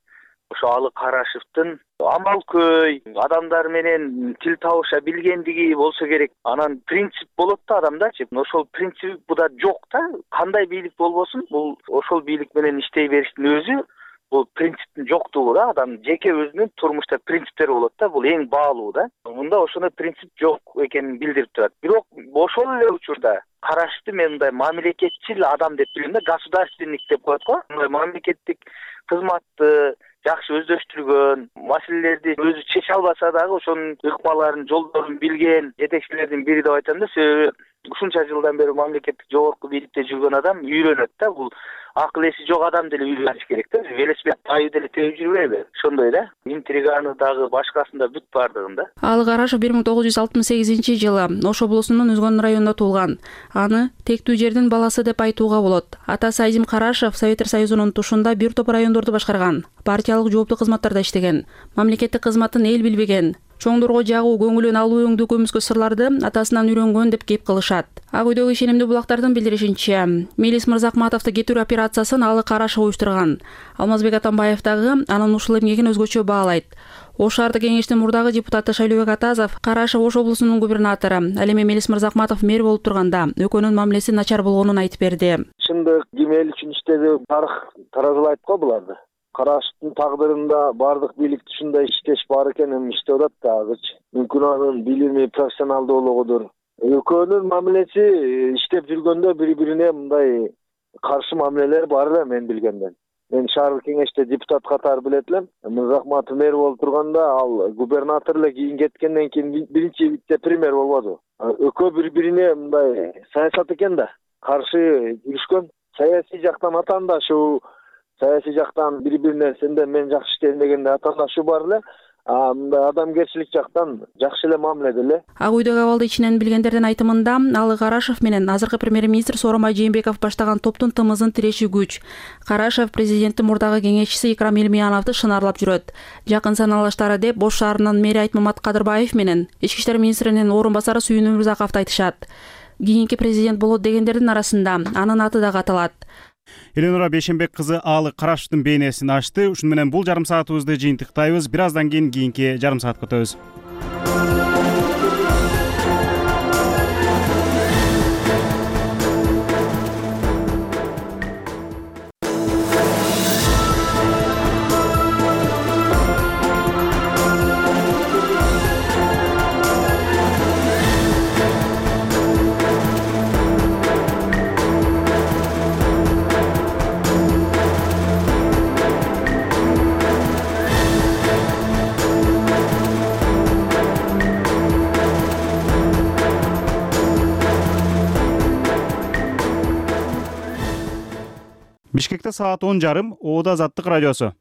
ошо алы Карашевдин амалкөй, адамдар менен тил табыша билгендиги болсо керек. Анан принцип болот да адамдачы. Ошол принцип буда жок да. Кандай бийлик болбосун, бул ошол бийлик менен иштей бериштин өзү бул принциптин жоктугу да. Адам жеке өзүнүн турмушта принциптери болот да. Бул эң баалуу да. Мында ошондой принцип жок экенин билдирип турат. Бирок ошол эле учурда Карашевди мен мындай мамлекетчил адам деп билем да, государственник деп коет го. Мындай мамлекеттик кызматты жакшы өздөштүргөн, маселелерди өзү чече албаса дагы ошонун ыкмаларын, жолдорун билген жетекчилердин бири деп айтам да. Себеби ушунча жылдан бери мамлекеттик жогорку бийликте жүргөн адам үйрөнөт да. Бул акыл эси жок адам деле үйрөнүш керек да. Велосипед айы деле теуп жүрбөйбү? Ошондой да. Интриганы дагы башкасында бүт бардыгында. Ал Карашев бир миң тогуз жүз алтымыш сегизинчи жылы Ош облусунун Үзгөн районунда туулган. Аны тектүү жердин баласы деп айтууга болот. Атасы Азим Карашев Советтер Союзунун тушунда бир топ райондорду башкарган. Партиялык жооптуу кызматтарда иштеген. Мамлекеттик кызматын эл билбеген. Чоңдорго жагуу, көңүлүн алуу өңдүү көмүскө сырларды атасынан үйрөнгөн деп кеп кылышат. Ак үйдөгү ишенимдүү булактардын билдиришинче, Мелис Мырзакматовду кетирүү операциясын алы Карашев уюштурган. Алмазбек Атамбаев дагы анын ушул эмгегин өзгөчө баалайт. Ош шаардык кеңештин мурдагы депутаты Шайлообек Атазов Карашев Ош облусунун губернатору, ал эми Мелис Мырзакматов мэр болуп турганда экөөнүн мамилеси начар болгонун айтып берди. Чындык ким эл үчүн иштеди, тарых таразылайт го буларды. Карашевдин тагдырында бардык бийлик ушундай иштеш бар экен, эми иштеп атат да азырчы. Мүмкүн анын билими, профессионалдуулугудур. Экөөнүн мамилеси иштеп жүргөндө бири-бирине мындай каршы мамилелер бар эле мен билгенден. Мен шаардык кеңеште депутат катары билет элем. Мырзакматов мэр болуп турганда ал губернатор эле кийин кеткенден кийин биринчи вице-премьер болбоду. Экөө бири-бирине мындай саясат экен да, каршы жүрүшкөн. Саясий жактан атаандашуу, саясий жактан бири-бирине сенден мен жакшы иштейм дегенде атаандашуу бар эле. а мындай адамгерчилик жактан жакшы эле мамиледе эле. Ак үйдөгү абалды ичинен билгендердин айтымында Алы Карашев менен азыркы премьер-министр Сооронбай Жээнбеков баштаган топтун тымызын тиреши күч. Карашев президенттин мурдагы кеңешчиси Икрам Элмияновду шынарлап жүрөт. Жакын саналаштары деп Ош шаарынын мэри Айтмамат Кадырбаев менен ички иштер министринин орун басары Сүйүн Өмүрзаковду айтышат. Кийинки президент болот дегендердин арасында анын аты дагы аталат. Эленора Бейшенбек кызы Алы Карашевдин бейнесин ачты. Ушуну менен бул жарым саатыбызды жыйынтыктайбыз. Бир аздан кийин кийинки жарым саатка өтөбүз. Бишкекте саат он жарым, Оода Азаттык радиосу.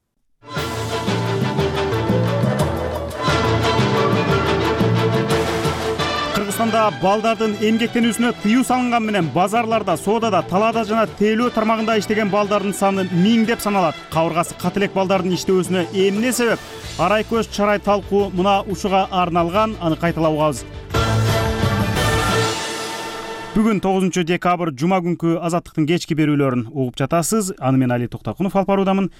Кыргызстанда балдардын эмгектенүүсүнө тыюу салынган менен базарларда, соодада, талаада жана тейлөө тармагында иштеген балдардын саны миңдеп саналат. Кабыргасы каты элек балдардын иштөөсүнө эмне себеп? Арай көз чарай талкуу мына ушуга арналган, аны кайталап угабыз. Бүгүн тогузунчу декабрь жума күнкү Азаттыктын кечки берүүлөрүн угуп жатасыз. Аны мен Али Токтокунов алып баруудамын.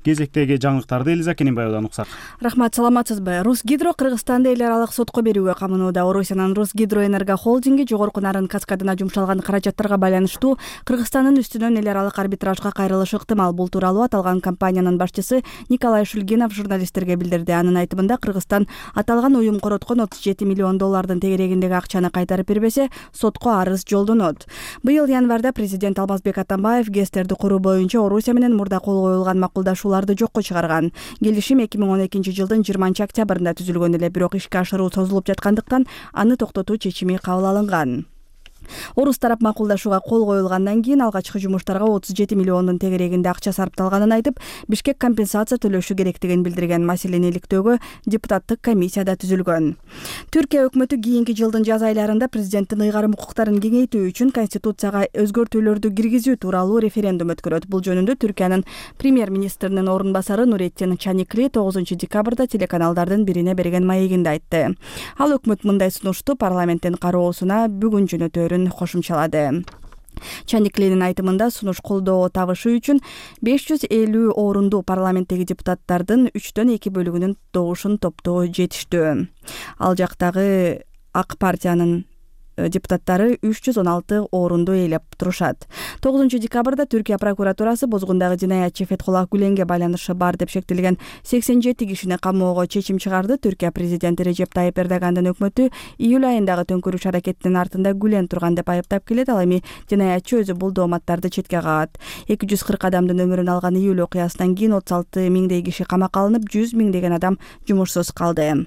Кезектеги жаңылыктарды Элиза Кененбаевадан уксак. Рахмат, саламатсызбы? Русгидро Кыргызстанды эл аралык сотко берүүгө камынууда. Орусиянын Русгидроэнерго холдинги жогорку нарын каскадына жумшалган каражаттарга байланыштуу Кыргызстандын үстүнөн эл аралык арбитражга кайрылышы ыктымал. Бул тууралуу аталган компаниянын башчысы Николай Шульгинов журналисттерге билдирди. Анын айтымында Кыргызстан аталган уюм короткон отуз жети миллион доллардын тегерегиндеги акчаны кайтарып бербесе, сотко арыз жолдонот. Быйыл январда президент Алмазбек Атамбаев ГЭСтерди куруу боюнча Орусия менен мурда кол коюлган макулдашуулар жокко чыгарган. Келишим эки миң он экинчи жылдын жыйырманчы октябрында түзүлгөн эле, бирок ишке ашыруу созулуп жаткандыктан аны токтотуу чечими кабыл алынган. Орус тарап макулдашууга кол коюлгандан кийин алгачкы жумуштарга отуз жети миллиондун тегерегинде акча сарпталганын айтып, Бишкек компенсация төлөшү керектигин билдирген. Маселени иликтөөгө депутаттык комиссия да түзүлгөн. Түркия өкмөтү кийинки жылдын жаз айларында президенттин ыйгарым укуктарын кеңейтүү үчүн конституцияга өзгөртүүлөрдү киргизүү тууралуу референдум өткөрөт. Бул жөнүндө Түркиянын премьер-министринин орун басары Нуреттин Чаникли тогузунчу декабрда телеканалдардын бирине берген маегинде айтты. Ал өкмөт мындай сунушту парламенттин кароосуна бүгүн жөнөтөөрүн кошумчалады. Чаниклинин айтымында сунуш колдоо табышы үчүн беш жүз элүү орунду парламенттеги депутаттардын үчтөн эки бөлүгүнүн добушун топтоо жетиштүү. Ал жактагы Ак партиянын депутаттары үч жүз он алты орунду ээлеп турушат. тогузунчу декабрда Түркия прокуратурасы бозгундагы жинаятчы Фетхуллах Гүленге байланышы бар деп шектелген сексен жети кишини камоого чечим чыгарды. Түркия президенти Режеп Тайып Эрдогандын өкмөтү июль айындагы төңкөрүш аракетинин артында Гүлен турган деп айыптап келет. Ал эми жинаятчы өзү бул дооматтарды четке кагат. эки жүз кырк адамдын өмүрүн алган июль окуясынан кийин отуз алты миңдей киши камакка алынып, жүз миңдеген адам жумушсуз калды.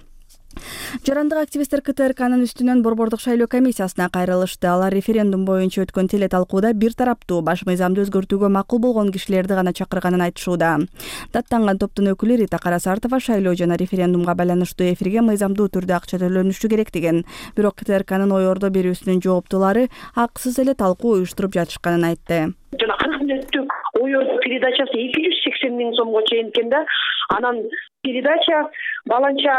Жарандык активисттер КТРКнын үстүнөн борбордук шайлоо комиссиясына кайрылышты. Алар референдум боюнча өткөн теле талкууда бир тараптуу баш мыйзамды өзгөртүүгө макул болгон кишилерди гана чакырганын айтышууда. Даттанган топтун өкүлү Рита Карасартова шайлоо жана референдумга байланыштуу эфирге мыйзамдуу түрдө акча төлөнүшү керектигин, бирок КТРКнын ой ордо берүүсүнүн жооптуулары акысыз эле талкуу уюштуруп жатышканын айтты. Жана кырк мүнөттүк ой ордо передачасы эки жүз сексен миң сомго чейин экен да. Анан передача баланча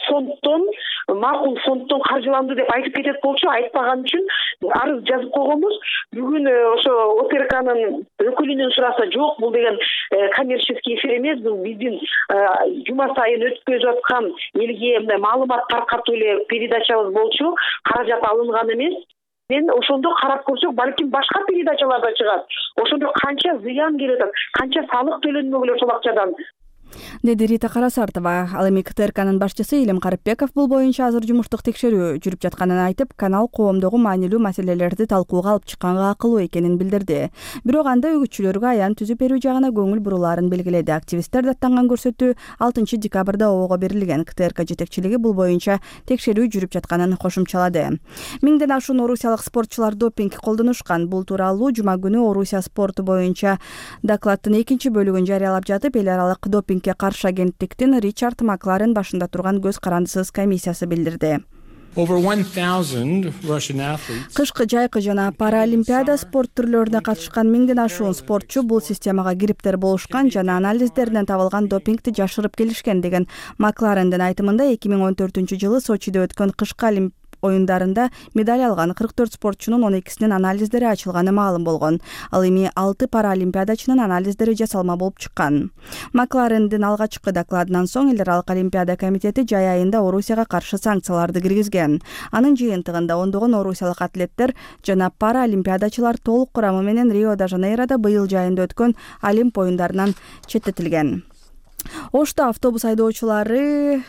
фондтон, макул фондтон каржыланды деп айтып кетет болчу, айтпаган үчүн арыз жазып койгонбуз. Бүгүн ошо ОТРКнын өкүлүнөн сураса, жок, бул деген коммерческий эфир эмес, бул биздин жума сайын өткөзүп аткан элге мындай маалымат таркатуу эле передачабыз болчу, каражат алынган эмес. Мен ошондо карап көрсөк, балким башка передачалар да чыгат. Ошондо канча зыян келип атат, канча салык төлөнмөгөн ошол акчадан. Деди Рита Карасартова. Ал эми КТРКнын башчысы Илим Карыпбеков бул боюнча азыр жумуштук текшерүү жүрүп жатканын айтып, канал коомдогу маанилүү маселелерди талкууга алып чыкканга акылуу экенин билдирди. Бирок анда үгүтчүлөргө аян түзүп берүү жагына көңүл бурулаарын белгиледи. Активисттер даттанган көрсөтүү алтынчы декабрда ООго берилген. КТРК жетекчилиги бул боюнча текшерүү жүрүп жатканын кошумчалады. Миңден ашуун орусиялык спортчулар допинг колдонушкан. Бул тууралуу жума күнү Орусия спорту боюнча докладдын экинчи бөлүгүн жарыялап жатып, эл аралык допинг допингге каршы агенттиктин Ричард Макларен башында турган көз карандысыз комиссиясы билдирди. Кышкы жайкы жана паралимпиада спорт түрлөрүнө катышкан миңден ашуун спортчу бул системага кириптер болушкан жана анализдеринен табылган допингди жашырып келишкен деген Макларендин айтымында эки миң он төртүнчү жылы Сочиде өткөн кышкы олимп оюндарында медаль алган кырк төрт спортчунун он экисинин анализдери ачылганы маалым болгон. Ал эми алты паралимпиадачынын анализдери жасалма болуп чыккан. Макларендин алгачкы докладынан соң эл аралык олимпиада комитети жай айында Орусияга каршы санкцияларды киргизген. Анын жыйынтыгында ондогон орусиялык атлеттер жана паралимпиадачылар толук курамы менен Рио-де-Жанейродо быйыл жайында өткөн олимп оюндарынан четтетилген. Ошто автобус айдоочулары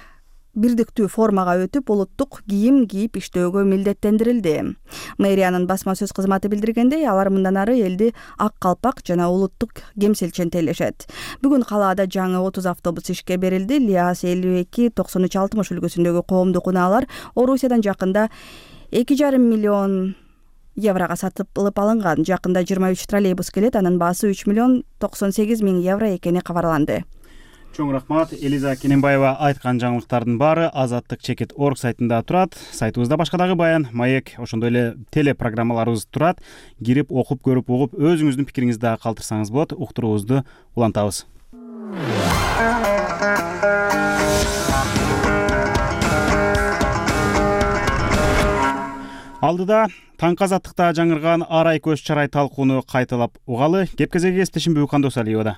бирдиктүү формага өтүп, улуттук кийим кийип иштөөгө милдеттендирилди. Мэриянын басма сөз кызматы билдиргендей, алар мындан ары элди ак калпак жана улуттук кемселчен тейлешет. Бүгүн калаада жаңы отуз автобус ишке берилди. Лиас элүү эки токсон үч алтымыш үлгүсүндөгү коомдук унаалар Орусиядан жакында эки жарым миллион еврога сатылып алынган. Жакында жыйырма үч троллейбус келет, анын баасы үч миллион токсон сегиз миң евро экени кабарланды. Чоң рахмат. Элиза Кененбаева айткан жаңылыктардын баары азаттык чекит орг сайтында турат. Сайтыбызда башка дагы баян, маек, ошондой эле телепрограммаларыбыз турат. Кирип, окуп, көрүп, угуп, өзүңүздүн пикириңизди дагы калтырсаңыз болот. Уктуруубузду улантабыз. Алдыда таңкы азаттыкта жаңырган арай көз чарай талкууну кайталап угалы. Кеп кезеги эстешимби Кандосалиевада.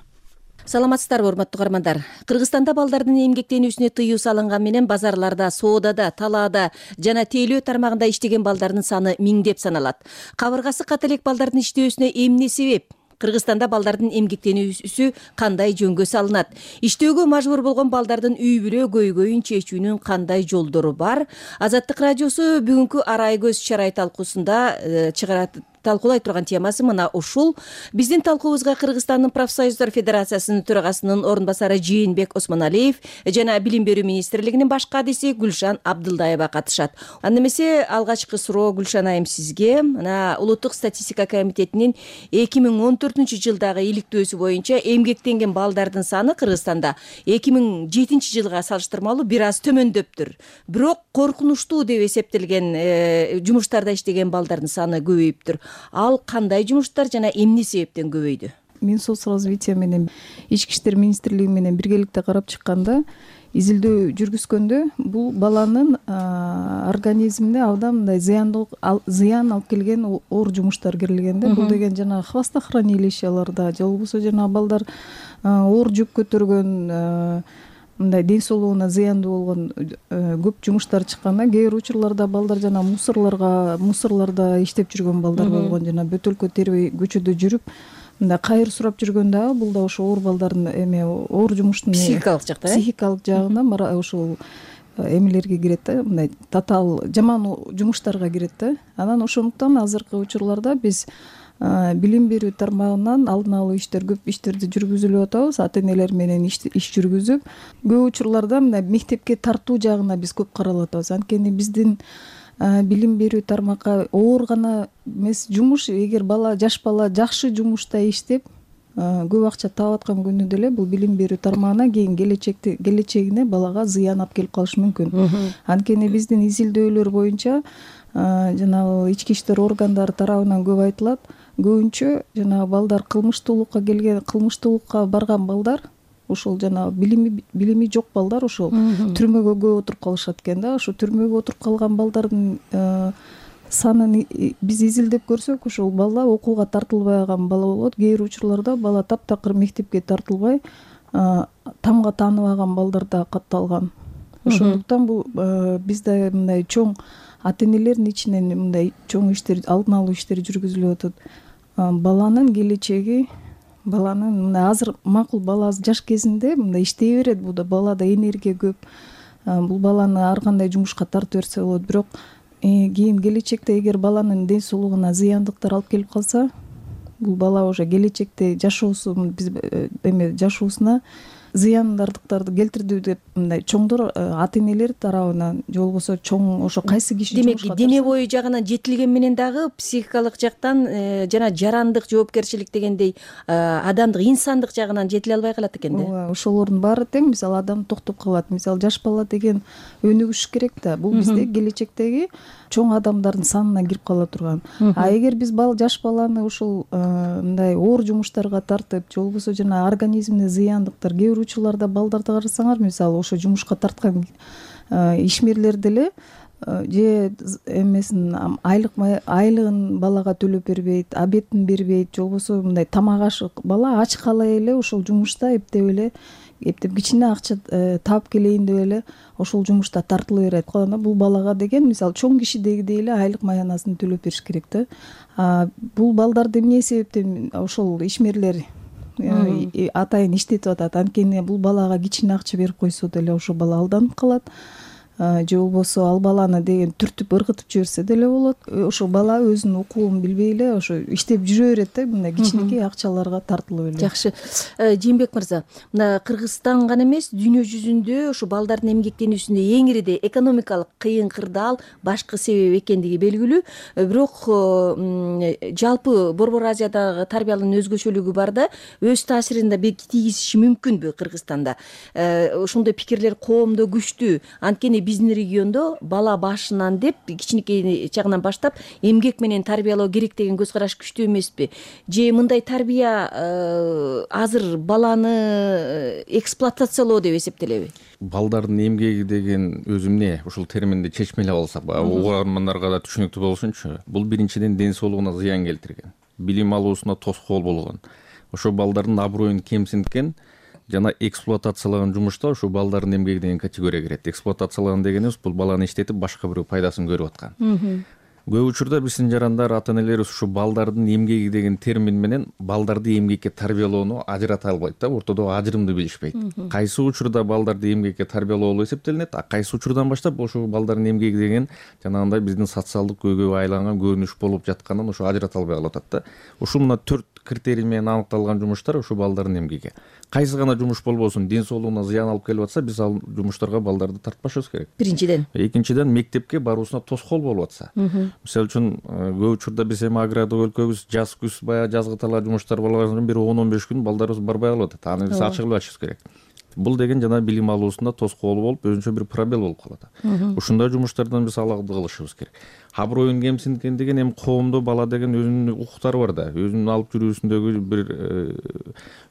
Саламатсыздарбы, урматтуу каармандар. Кыргызстанда балдардын эмгектенүүсүнө тыюу салынган менен базарларда, соодада, талаада жана тейлөө тармагында иштеген балдардын саны миңдеп саналат. Кабыргасы ката элек балдардын иштөөсүнө эмне себеп? Кыргызстанда балдардын эмгектенүүсү кандай жөнгө салынат? Иштөөгө мажбур болгон балдардын үй бүлө көйгөйүн чечүүнүн кандай жолдору бар? Азаттык радиосу бүгүнкү арай көз чарай талкуусунда чыгарат талкуулай турган темасы мына ушул. Биздин талкуубузга Кыргызстандын профсоюздар федерациясынын төрагасынын орун басары Жээнбек Осмоналиев жана Билим берүү министрлигинин баш кадиси Гүлшан Абдылдаева катышат. Анда эмесе алгачкы суроо Гүлшан айым сизге. Мына улуттук статистика комитетинин эки миң он төртүнчү жылдагы иликтөөсү боюнча эмгектенген балдардын саны Кыргызстанда эки миң жетинчи жылга салыштырмалуу бир аз төмөндөптүр. Бирок коркунучтуу деп эсептелген жумуштарда иштеген балдардын саны көбөйүптүр. Ал кандай жумуштар жана эмне себептен көбөйдү? Мин соцразвитие менен Ички иштер министрлиги менен биргеликте карап чыкканда, изилдөө жүргүзгөндө бул баланын организмине абдан мындай зыяндуу зыян алып келген оор жумуштар кирилген да. Бул деген жана хвостохранилищаларда же болбосо жана балдар оор жүк көтөргөн мындай ден соолугуна зыяндуу болгон көп жумуштар чыкканда, кээ бир учурларда балдар жана мусорлорго мусорлордо иштеп жүргөн балдар болгон, жана бөтөлкө тербей көчөдө жүрүп мындай кайыр сурап жүргөн дагы бул да ошо оор балдардын эме оор жумуштун психикалык жакта психикалык жагынан ошол эмелерге кирет да, мындай татаал жаман жумуштарга кирет да. Анан ошондуктан азыркы учурларда биз билим берүү тармагынан алдын алуу иштер көп иштерди жүргүзүлүп атабыз. Ата энелер менен иш жүргүзүп, көп учурларда мына мектепке тартуу жагына биз көп каралып атабыз. Анткени биздин билим берүү тармакка оор гана эмес жумуш, эгер бала жаш бала жакшы жумушта иштеп көп акча таап аткан күнү деле бул билим берүү тармагына кийин келечекте келечегине балага зыян алып келип калышы мүмкүн. Анткени биздин изилдөөлөр боюнча жана ички иштер органдары тарабынан көп айтылат, көбүнчө жана балдар кылмыштуулукка келген, кылмыштуулукка барган балдар, ошол жана билими билими жок балдар ошол түрмөгө көп отуруп калышат экен да. Ошо түрмөгө отуруп калган балдардын санын биз изилдеп көрсөк, ошол бала окууга тартылбай калган бала болот. Кээ бир учурларда бала таптакыр мектепке тартылбай тамга тааныбаган балдар да катталган. Ошондуктан бул бизде мындай чоң ата энелердин ичинен мындай чоң иштер, алдын алуу иштери жүргүзүлүп атат. Баланын келечеги, баланын мына азыр макул бала жаш кезинде мындай иштей берет, бул да балада энергия көп. Бул баланы ар кандай жумушка тартып берсе болот, бирок кийин келечекте эгер баланын ден соолугуна зыяндыктар алып келип калса, бул бала уже келечекте жашоосу биз эме жашоосуна зыяндардыктарды келтирди деп мындай чоңдор ата энелер тарабынан же болбосо чоң ошо кайсы киши демек дене бою жагынан жетилген менен дагы психикалык жактан жана жарандык жоопкерчилик дегендей адамдык инсандык жагынан жетиле албай калат экен да. ооба ошолордун баары тең. Мисалы адам токтоп калат. Мисалы жаш бала деген өнүгүш керек да. Бул бизде келечектеги чоң адамдардын санына кирип кала турган. А эгер биз бала жаш баланы ушул мындай оор жумуштарга тартып же болбосо жана организмине зыяндыктар, кээ бир учурларда балдарды карасаңар, мисалы ошо жумушка тарткан ишмерлер деле же эмесин айлык айлыгын балага төлөп бербейт, обедин бербейт, же болбосо мындай тамак ашы бала ач кала эле ошол жумушта эптеп эле эптеп кичине акча таап келейин деп эле ошол жумушта тартыла берет. Бул балага деген мисалы чоң кишидегидей эле айлык маянасын төлөп бериш керек да. Бул балдарды эмне себептен ошол ишмерлер атайын иштетип атат? Анткени бул балага кичине акча берип койсо деле ошол бала алданып калат. Же болбосо ал баланы деген түртүп ыргытып жиберсе деле болот. Ошо бала өзүнүн укугун билбей эле ошо иштеп жүрө берет да, мындай кичинекей акчаларга тартылып эле. Жакшы. Жээнбек мырза, мына Кыргызстан гана эмес, дүйнө жүзүндө ошо балдардын эмгектенүүсүндө эң ириде экономикалык кыйын кырдаал башкы себеп экендиги белгилүү. Бирок жалпы Борбор Азиядагы тарбиянын өзгөчөлүгү бар да, өз таасирин да тийгизиши мүмкүнбү Кыргызстанда? Ошондой пикирлер коомдо күчтүү. Анткени биздин региондо бала башынан деп кичинекей чагынан баштап эмгек менен тарбиялоо керек деген көз караш күчтүү эмеспи? Же мындай тарбия азыр баланы эксплуатациялоо деп эсептелеби? Балдардын эмгеги деген өзү эмне? Ушул терминди чечмелеп алсак, угармандарга да түшүнүктүү болсунчу. Бул биринчиден ден соолугуна зыян келтирген, билим алуусуна тоскоол болгон, ошо балдардын аброюн кемсинткен жана эксплуатациялаган жумушта ушул балдардын эмгеги деген категория кирет. Эксплуатациялаган дегенибиз бул баланы иштетип башка бирөө пайдасын көрүп аткан. Көп учурда биздин жарандар, ата энелерибиз ушу балдардын эмгеги деген термин менен балдарды эмгекке тарбиялоону ажырата албайт да, ортодо ажырымды билишпейт. Кайсы учурда балдарды эмгекке тарбиялоо болуп эсептелинет, а кайсы учурдан баштап ошол балдардын эмгеги деген жанагындай биздин социалдык көйгөйгө айланган көрүнүш болуп жатканын ошо ажырата албай калып атат да. Ушул мына төрт критерий менен аныкталган жумуштар ушул балдардын эмгеги. Кайсы гана жумуш болбосун, ден соолугуна зыян алып келип атса, биз ал жумуштарга балдарды тартпашыбыз керек. Биринчиден. Экинчиден, мектепке баруусуна тоскоол болуп атса. Мисалы үчүн көп учурда биз эми агрардык өлкөбүз жаз күз баягы жазгы талаа жумуштар болгон соң бир он он беш күн балдарыбыз барбай калып атат. Аны биз ачык билишибиз керек. Бул деген жана билим алуусунда тоскоол болуп, өзүнчө бир пробел болуп калат. Ушундай жумуштардан биз алагды кылышыбыз керек. Аброюн кемсинткен деген эми коомдо бала деген өзүнүн укуктары бар да, өзүнүн алып жүрүүсүндөгү бир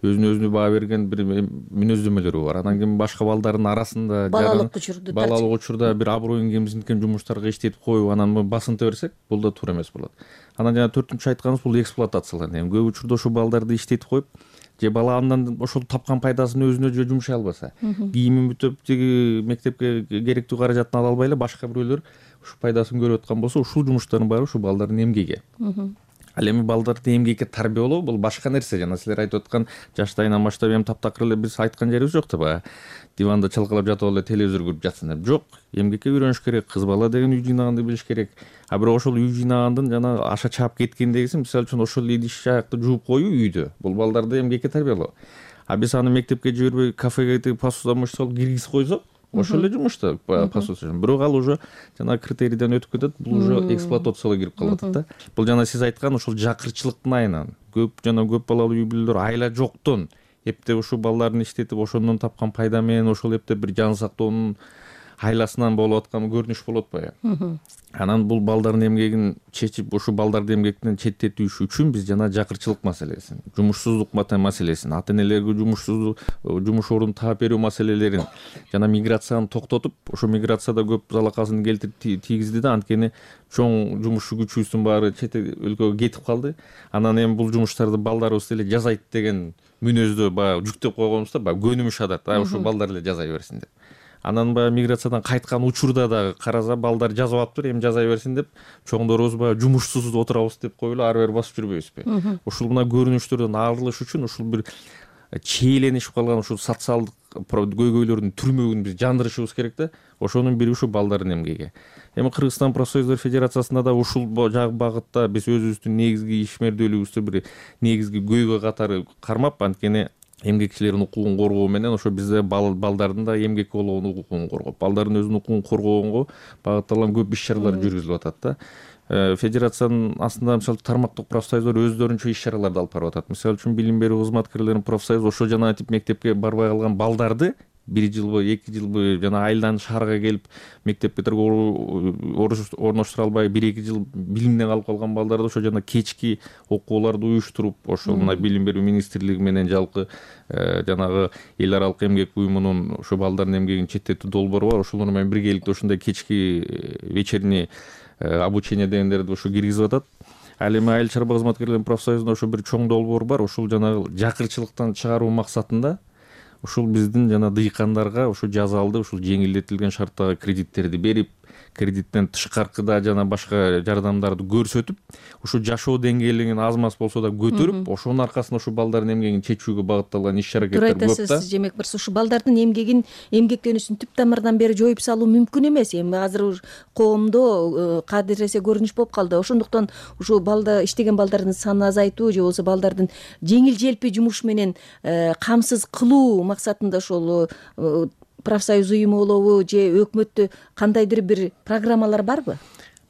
өзүнө өзүнө баа берген бир мүнөздөмөлөрү бар. Анан кийин башка балдардын арасында балалык учурда балалык учурда бир аброюн кемсинткен жумуштарга иштетип коюп, анан басынта берсек, бул да туура эмес болот. Анан жана төртүнчү айтканыбыз бул эксплуатацияланат. Эми көп учурда ошо балдарды иштетип коюп, же бала андан ошол тапкан пайдасын өзүнө же жумшай албаса, кийимин бүтөп тиги мектепке керектүү каражатын ала албай эле башка бирөөлөр ушул пайдасын көрүп аткан болсо, ушул жумуштардын баары ушул балдардын эмгеги. Ал эми балдарды эмгекке тарбиялоо бул башка нерсе. Жана силер айтып аткан жаштайынан баштап эми таптакыр эле биз айткан жерибиз жок да, баягы диванда чалкалап жатып эле телевизор көрүп жатсын деп. Жок, эмгекке үйрөнүш керек. Кыз бала деген үй жыйнаганды билиш керек. А бирок ошол үй жыйнагандын жана аша чаап кеткендегиси, мисалы үчүн ошол идиш аякты жууп коюу үйдө. Бул балдарды эмгекке тарбиялоо. А биз аны мектепке жибербей, кафеге тиги посудомоечный салып киргизип койсок, ошол эле жумуш да посуда. Бирок ал уже жана критерийден өтүп кетет, бул уже эксплуатацияга кирип калып атат да. Бул жана сиз айткан ошол жакырчылыктын айынан, көп жана көп балалуу үй бүлөлөр айла жоктон эптеп ушул балдарын иштетип, ошондон тапкан пайда менен ошол эптеп бир жан сактоонун айласынан болуп аткан көрүнүш болот баягы. Анан бул балдардын эмгегин чечип, ушул балдарды эмгектен четтетүүш үчүн биз жана жакырчылык маселесин, жумушсуздук маселесин, ата энелерге жумушсуздук жумуш орун таап берүү маселелерин жана миграцияны токтотуп, ошо миграцияда көп залакасын келтирип тийгизди да, анткени чоң жумушчу күчүбүздүн баары чет өлкөгө кетип калды. Анан эми бул жумуштарды балдарыбыз эле жасайт деген мүнөздө баягы жүктөп койгонбуз да, баягы көнүмүш адат, ушул балдар эле жасай берсин деп. Анан баягы миграциядан кайткан учурда дагы караса балдар жазып атыптыр, эми жаза берсин деп, чоңдорубуз баягы жумушсуз отурабыз деп коюп эле ары бери басып жүрбөйбүзбү? Ушул мына көрүнүштөрдөн арылыш үчүн ушул бир чиеленишип калган ушул социалдык көйгөйлөрдүн түрмөгүн биз жандырышыбыз керек да. Ошонун бири ушул балдардын эмгеги. Эми Кыргызстан профсоюздар федерациясында да ушул багытта биз өзүбүздүн негизги ишмердүүлүгүбүздү бир негизги көйгөй катары кармап, анткени эмгекчилердин укугун коргоо менен ошо бизде балдардын да эмгек болгон укугун коргоп, балдардын өзүнүн укугун коргоого багытталган көп иш чаралар жүргүзүлүп атат да. Федерациянын астында мисалы тармактык профсоюздар өздөрүнчө иш чараларды алып барып атат. Мисалы үчүн билим берүү кызматкерлеринин профсоюзу ошо жана тип мектепке барбай калган балдарды бир жылбы эки жылбы жана айылдан шаарга келип мектепке орноштура албай бир эки жыл билимден калып калган балдарды ошо жана кечки окууларды уюштуруп ошо мына билим берүү министрлиги менен жалпы жанагы эл аралык эмгек уюмунун ошо балдардын эмгегин четтетүү долбоору бар. Ошолор менен биргеликте ошондой кечки вечерний обучение дегендерди ошо киргизип атат. Ал эми айыл чарба кызматкерлеринин профсоюзунда ошо бир чоң долбоор бар. Ошол жанагы жакырчылыктан чыгаруу максатында ушул биздин жана дыйкандарга ушул жазалды ушул жеңилдетилген шарттагы кредиттерди берип, кредиттен тышкаркыда жана башка жардамдарды көрсөтүп, ушу жашоо деңгээлин аз маз болсо да көтөрүп, ошонун аркасында ушу балдардын эмгегин чечүүгө багытталган иш аракеттер көп да. Демек бир ушу балдардын эмгегин, эмгектенүүсүн түп тамырынан бери жоюп салуу мүмкүн эмес. Эми азыр коомдо кадыресе көрүнүш болуп калды. Ошондуктан ушу балда иштеген балдардын санын азайтуу же болбосо балдардын жеңил желпи жумуш менен камсыз кылуу максатында ошол профсоюз уюму болобу же өкмөттө кандайдыр бир программалар барбы?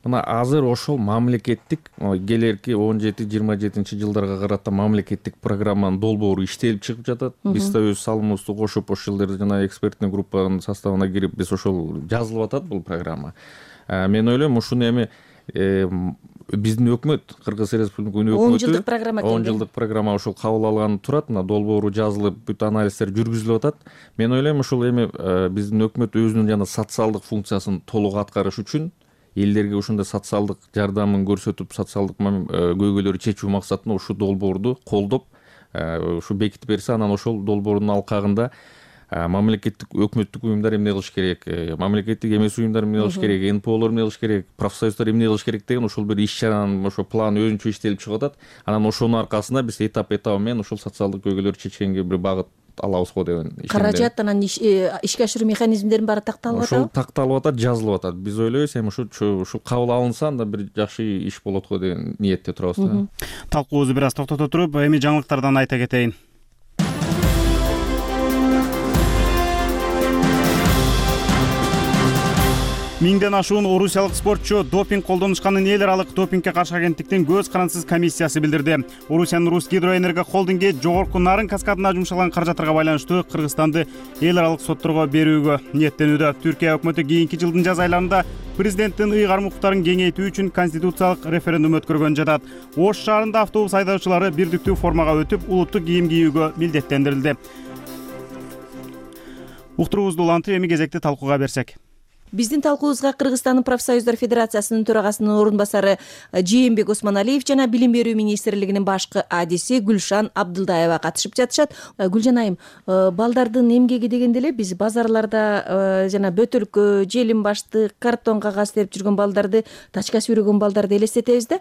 Мына азыр ошол мамлекеттик келерки он жети жыйырма жетинчи жылдарга карата мамлекеттик программанын долбоору иштелип чыгып жатат. Биз да өз салымыбызды кошуп ошол жерде жана экспертный группанын составына кирип биз ошол жазылып атат бул программа. Мен ойлойм ушуну эми биздин өкмөт, Кыргыз Республикасынын өкмөтү он жылдык программа он жылдык программа ошол кабыл алганы турат. Мына долбоору жазылып, бүт анализдер жүргүзүлүп атат. Мен ойлойм ушул эми биздин өкмөт өзүнүн жана социалдык функциясын толук аткарыш үчүн элдерге ушундай социалдык жардамын көрсөтүп, социалдык көйгөйлөрдү чечүү максатында ушул долбоорду колдоп, ушу бекитип берсе, анан ошол долбоордун алкагында мамлекеттик өкмөттүк уюмдар эмне кылыш керек, мамлекеттик эмес уюмдар эмне кылыш керек, эн пэ олор эмне кылыш керек, профсоюздар эмне кылыш керек деген ошол бир иш чаранын ошо планы өзүнчө иштелип чыгып атат. Анан ошонун аркасында биз этап этабы менен ушул социалдык көйгөйлөрдү чечкенге бир багыт алабыз го деген ишендим. Каражат анан ишке ашыруу механизмдеринин баары такталып атабы? Ошол такталып атат, жазылып атат. Биз ойлойбуз эми ушу ушул кабыл алынса анда бир жакшы иш болот го деген ниетте турабыз. Талкуубузду бир аз токтото туруп, эми жаңылыктардан айта кетейин. Миңден ашуун орусиялык спортчу допинг колдонушканын эл аралык допингге каршы агенттиктин көз карансыз комиссиясы билдирди. Орусиянын Русгидроэнерго холдинги жогорку нарын каскадына жумшалган каражаттарга байланыштуу Кыргызстанды эл аралык сотторго берүүгө ниеттенүүдө. Түркия өкмөтү кийинки жылдын жаз айларында президенттин ыйгарым укуктарын кеңейтүү үчүн конституциялык референдум өткөргөн жатат. Ош шаарында автобус айдоочулары бирдиктүү формага өтүп, улуттук кийим кийүүгө милдеттендирилди. Уктуруубузду улантып, эми кезекти талкууга берсек. Биздин талкуубузга Кыргызстандын профсоюздар федерациясынын төрагасынын орун басары Жээнбек Осмоналиев жана Билим берүү министрлигинин башкы адиси Гүлшан Абдылдаева катышып жатышат. Гүлжан айым, балдардын эмгеги дегенде эле биз базарларда жана бөтөлкө, желим баштык, картон кагаз терип жүргөн балдарды, тачка сүйрөгөн балдарды элестетебиз да.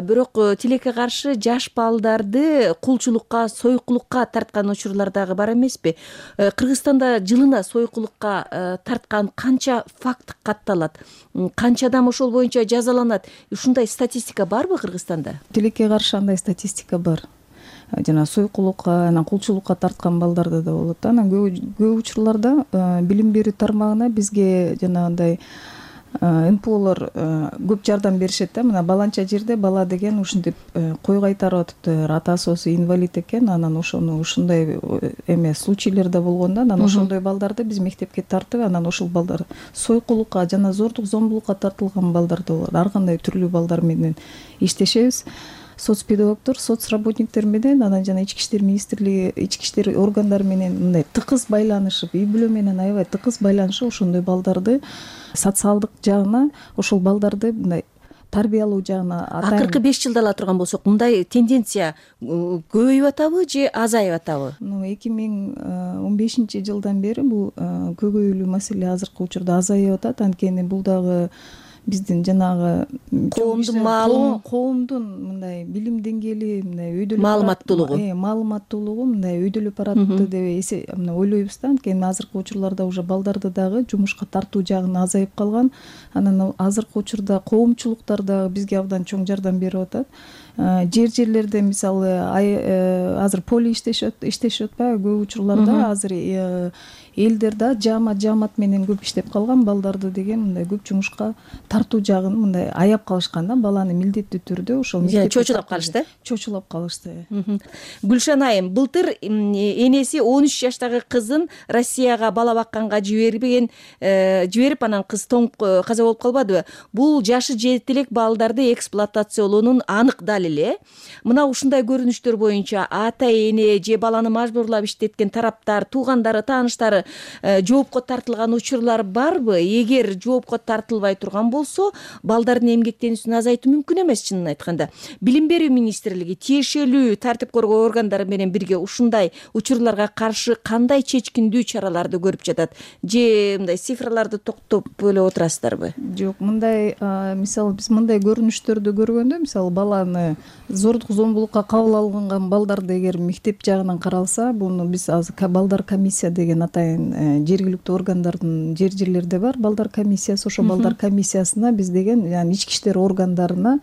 Бирок тилекке каршы жаш балдарды кулчулукка, сойкулукка тарткан учурлар дагы бар эмеспи? Кыргызстанда жылына сойкулукка тарткан канча факт катталат, канча адам ошол боюнча жазаланат? Ушундай статистика барбы Кыргызстанда? Тилекке каршы андай статистика бар. Жана сойкулукка, анан кулчулукка тарткан балдарда да болот. Анан көп учурларда билим берүү тармагына бизге жанагындай эн пэ олор көп жардам беришет да. Мына баланча жерде бала деген ушинтип кой кайтарып атыптыр, атасы болсо инвалид экен, анан ошону ушундай эме случайлар да болгон да. Анан ошондой балдарды биз мектепке тартып, анан ошол балдар сойкулукка жана зордук зомбулукка тартылган балдар да болот. Ар кандай түрлүү балдар менен иштешебиз. Соцпедагогдор, соцработниктер менен, анан жана ички иштер министрлиги, ички иштер органдары менен мындай тыкыз байланышып, үй бүлө менен аябай тыкыз байланышып ошондой балдарды социалдык жагына, ошол балдарды мындай тарбиялоо жагына атайын. Акыркы беш жылда ала турган болсок, мындай тенденция көбөйүп атабы же азайып атабы? эки миң он бешинчи жылдан бери бул көбөйүүлүү маселе азыркы учурда азайып атат. Анткени бул дагы биздин жанагы коомдун маалым, коомдун мындай билим деңгээли, мындай өйдөлүп маалыматтуулугу, маалыматтуулугу мындай өйдөлүп баратты деп мына ойлойбуз да. Анткени азыркы учурларда уже балдарды дагы жумушка тартуу жагына азайып калган. Анан азыркы учурда коомчулуктар дагы бизге абдан чоң жардам берип атат. жер жерлерде мисалы азыр поле иштешет иштешип атпайбы көп учурларда азыр элдер да жаамат жаамат менен көп иштеп калган балдарды деген мындай көп жумушка тартуу жагын мындай аяп калышкан да баланы милдеттүү түрдө ошол чочулап калышты чочулап калышты. Гүлшан айым, былтыр энеси он үч жаштагы кызын Россияга бала бакканга жибербеген жиберип анан кыз тоңуп каза болуп калбадыбы? Бул жашы жети элек балдарды эксплуатациялоонун анык далили. Мына ушундай көрүнүштөр боюнча ата эне же баланы мажбурлап иштеткен тараптар, туугандары, тааныштары жоопко тартылган учурлар барбы? Эгер жоопко тартылбай турган болсо, балдардын эмгектенүүсүн азайтуу мүмкүн эмес. Чынын айтканда, билим берүү министрлиги тиешелүү тартип коргоо органдары менен бирге ушундай учурларга каршы кандай чечкиндүү чараларды көрүп жатат? Же мындай цифрларды токтоп эле отурасыздарбы? Жок, мындай мисалы биз мындай көрүнүштөрдү көргөндө, мисалы баланы зордук зомбулукка кабыл алынган балдарды эгер мектеп жагынан каралса, буну биз азыр балдар комиссия деген атайын жергиликтүү органдардын жер жерлерде бар балдар комиссиясы, ошо балдар комиссиясына биз деген яны ички иштер органдарына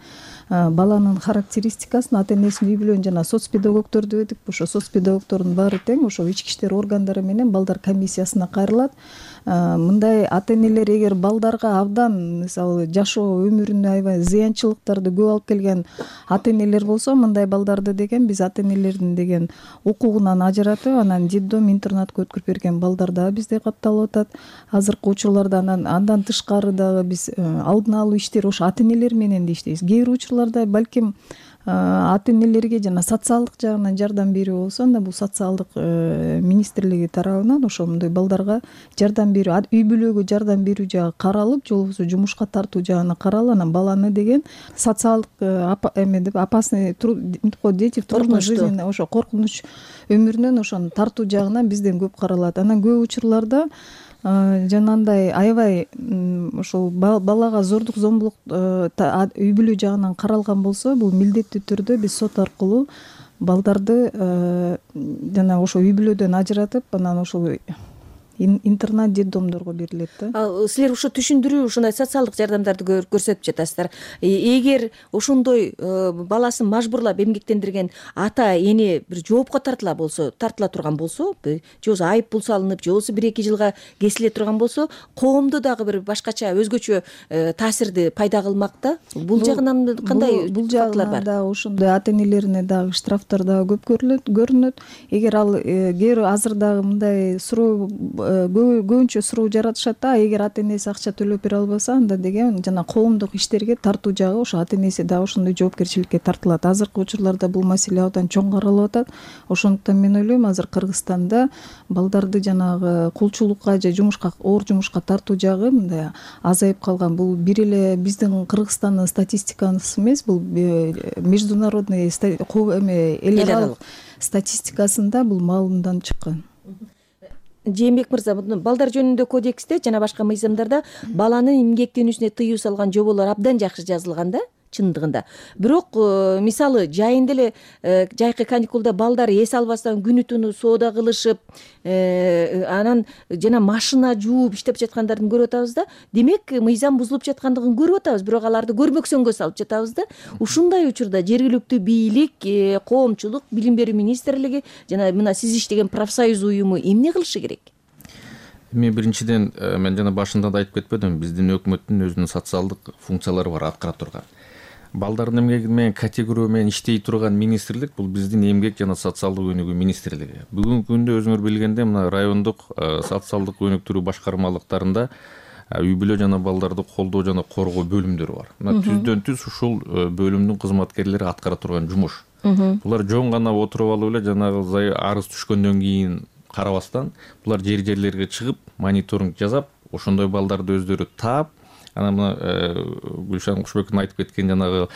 баланын характеристикасын, ата энесинин үй бүлөнүн жана соц педагогдорду дедик, ошо соц педагогдордун баары тең ошо ички иштер органдары менен балдар комиссиясына кайрылат. Мындай ата энелер эгер балдарга абдан мисалы жашоо өмүрүнө аябай зыянчылыктарды көп алып келген ата энелер болсо, мындай балдарды деген биз ата энелердин деген укугунан ажыратып, анан детдом, интернатка өткөрүп берген балдар дагы бизде катталып атат. Азыркы учурларда анан андан тышкары дагы биз алдын алуу иштери ошо ата энелер менен да иштейбиз. Кээ бир учурларда балким ата энелерге жана социалдык жагынан жардам берүү болсо, анда бул социалдык министрлиги тарабынан ошо мындай балдарга жардам берүү, үй бүлөгө жардам берүү жагы каралып, же болбосо жумушка тартуу жагына каралып, анан баланы деген социалдык эме деп опасный дети в трудной жизни, ошо коркунуч өмүрүнөн ошону тартуу жагынан бизден көп каралат. Анан көп учурларда жанагындай аябай ошол балага зордук зомбулук үй бүлө жагынан каралган болсо, бул милдеттүү түрдө биз сот аркылуу балдарды жана ошо үй бүлөдөн ажыратып, анан ошол интернат детдомдорго берилет да. Ал силер ошо түшүндүрүү, ушундай социалдык жардамдарды көрсөтүп жатасыздар. Эгер ошондой баласын мажбурлап эмгектендирген ата эне бир жоопко тартыла болсо, тартыла турган болсо, же болбосо айып пул салынып, же болбосо бир эки жылга кесиле турган болсо, коомдо дагы бир башкача өзгөчө таасирди пайда кылмак да. Бул жагынан кандай бул жагынан да ошондой ата энелерине дагы штрафтар дагы көп көрүнөт. Эгер ал кээ азыр дагы мындай суроо көбүнчө суроо жаратышат да, эгер ата энеси акча төлөп бере албаса, анда деген жана коомдук иштерге тартуу жагы ошо ата энеси дагы ошондой жоопкерчиликке тартылат. Азыркы учурларда бул маселе абдан чоң каралып атат. Ошондуктан мен ойлойм, азыр Кыргызстанда балдарды жанагы кулчулукка же жумушка, оор жумушка тартуу жагы мындай азайып калган. Бул бир эле биздин Кыргызстандын статистикасы эмес, бул международный эме эл аралык статистикасында бул маалымдан чыккан. Жээнбек мырза, балдар жөнүндө кодексте жана башка мыйзамдарда баланын эмгектенүүсүнө тыюу салган жоболор абдан жакшы жазылган да, чындыгында. Бирок мисалы жайында эле жайкы каникулда балдар эс албастан күнү түнү соода кылышып, анан жана машина жууп иштеп жаткандарын көрүп атабыз да. Демек, мыйзам бузулуп жаткандыгын көрүп атабыз, бирок аларды көрмөксөнгө салып жатабыз да. Ушундай учурда жергиликтүү бийлик, коомчулук, билим берүү министрлиги жана мына сиз иштеген профсоюз уюму эмне кылышы керек? Мен биринчиден, мен жана башында да айтып кетпедимби, биздин өкмөттүн өзүнүн социалдык функциялары бар, аткара турган. Балдардын эмгеги менен категория менен иштей турган министрлик бул биздин эмгек жана социалдык өнүгүү министрлиги. Бүгүнкү күндө өзүңөр билгендей, мына райондук социалдык өнүктүрүү башкармалыктарында үй бүлө жана балдарды колдоо жана коргоо бөлүмдөрү бар. Мына түздөн түз ушул бөлүмдүн кызматкерлери аткара турган жумуш. Булар жөн гана отуруп алып эле жанагы арыз түшкөндөн кийин карабастан, булар жер жерлерге чыгып, мониторинг жасап, ошондой балдарды өздөрү таап, анан мына Гүлшан Кушбековдун айтып кеткен жанагы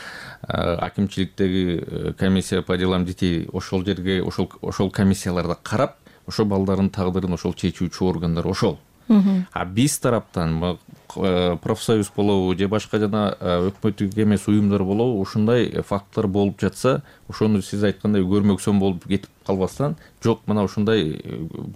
акимчиликтеги комиссия по делам детей ошол жерге, ошол ошол комиссияларда карап, ошол балдардын тагдырын ошол чечүүчү органдар ошол. А биз тараптан профсоюз болобу же башка жана өкмөттүк эмес уюмдар болобу, ушундай факттар болуп жатса, ошону сиз айткандай көрмөксөн болуп кетип калбастан жок мына ушундай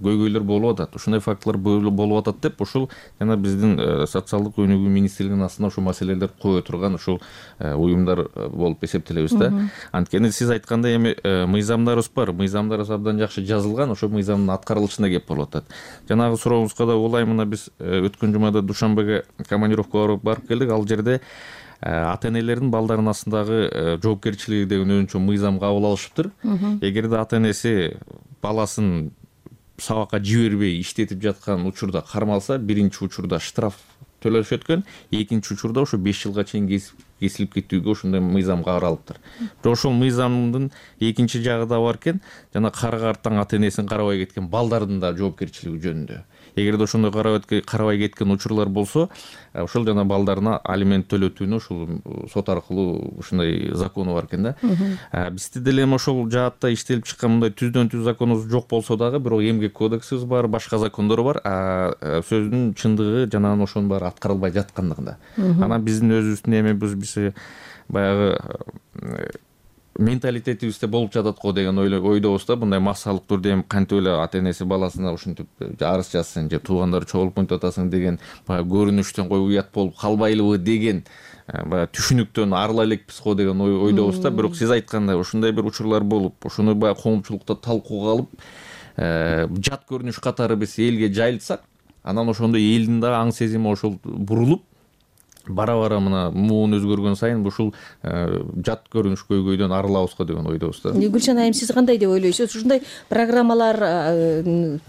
көйгөйлөр болуп атат, ушундай фактылар болуп атат деп ушул жана биздин социалдык өнүгүү министрлигинин астына ушул маселелерди кое турган ушул уюмдар болуп эсептелебиз да. Анткени сиз айткандай эми мыйзамдарыбыз бар, мыйзамдарыбыз абдан жакшы жазылган, ошол мыйзамдын аткарылышына кеп болуп атат. Жанагы сурообузга да улай, мына биз өткөн жумада Душанбеге командировкага барып келдик, ал жерде ата энелердин балдардын астындагы жоопкерчилиги деген өзүнчө мыйзам кабыл алышыптыр. Эгерде ата энеси баласын сабакка жибербей иштетип жаткан учурда кармалса, биринчи учурда штраф төлөшөт экен, экинчи учурда ошо беш жылга чейин кесилип кетүүгө ошондой мыйзам каралыптыр. Бирок ошол мыйзамдын экинчи жагы да бар экен, жана кара карттан ата энесин карабай кеткен балдардын да жоопкерчилиги жөнүндө. Эгерде ошондой карабай кеткен учурлар болсо, ошол жана балдарына алимент төлөтүүнү ушул сот аркылуу ушундай закону бар экен да. Бизде деле эми ошол жаатта иштелип чыккан мындай түздөн түз законубуз жок болсо дагы, бирок эмгек кодексибиз бар, башка закондор бар. Сөздүн чындыгы жанагы ошонун баары аткарылбай жаткандыгында. Анан биздин өзүбүздүн эмебиз биз баягы менталитетибизде болуп жатат го деген ойдобуз да. Мындай массалык түрдө эми кантип эле ата энеси баласына ушинтип арыз жазсын же туугандары чогулуп мынтип атасың деген баягы көрүнүштөн кой уят болуп калбайлыбы деген баягы түшүнүктөн арыла элекпиз го деген ойдобуз да. Бирок сиз айткандай ушундай бир учурлар болуп, ошону баягы коомчулукта талкууга алып, жат көрүнүш катары биз элге жайылтсак, анан ошондо элдин да аң сезими ошол бурулуп, бара-бара мына муун өзгөргөн сайын ушул жат көрүнүш көйгөйдөн арылабыз го деген ойдобуз да. Гүлшан айым, сиз кандай деп ойлойсуз? Ушундай программалар,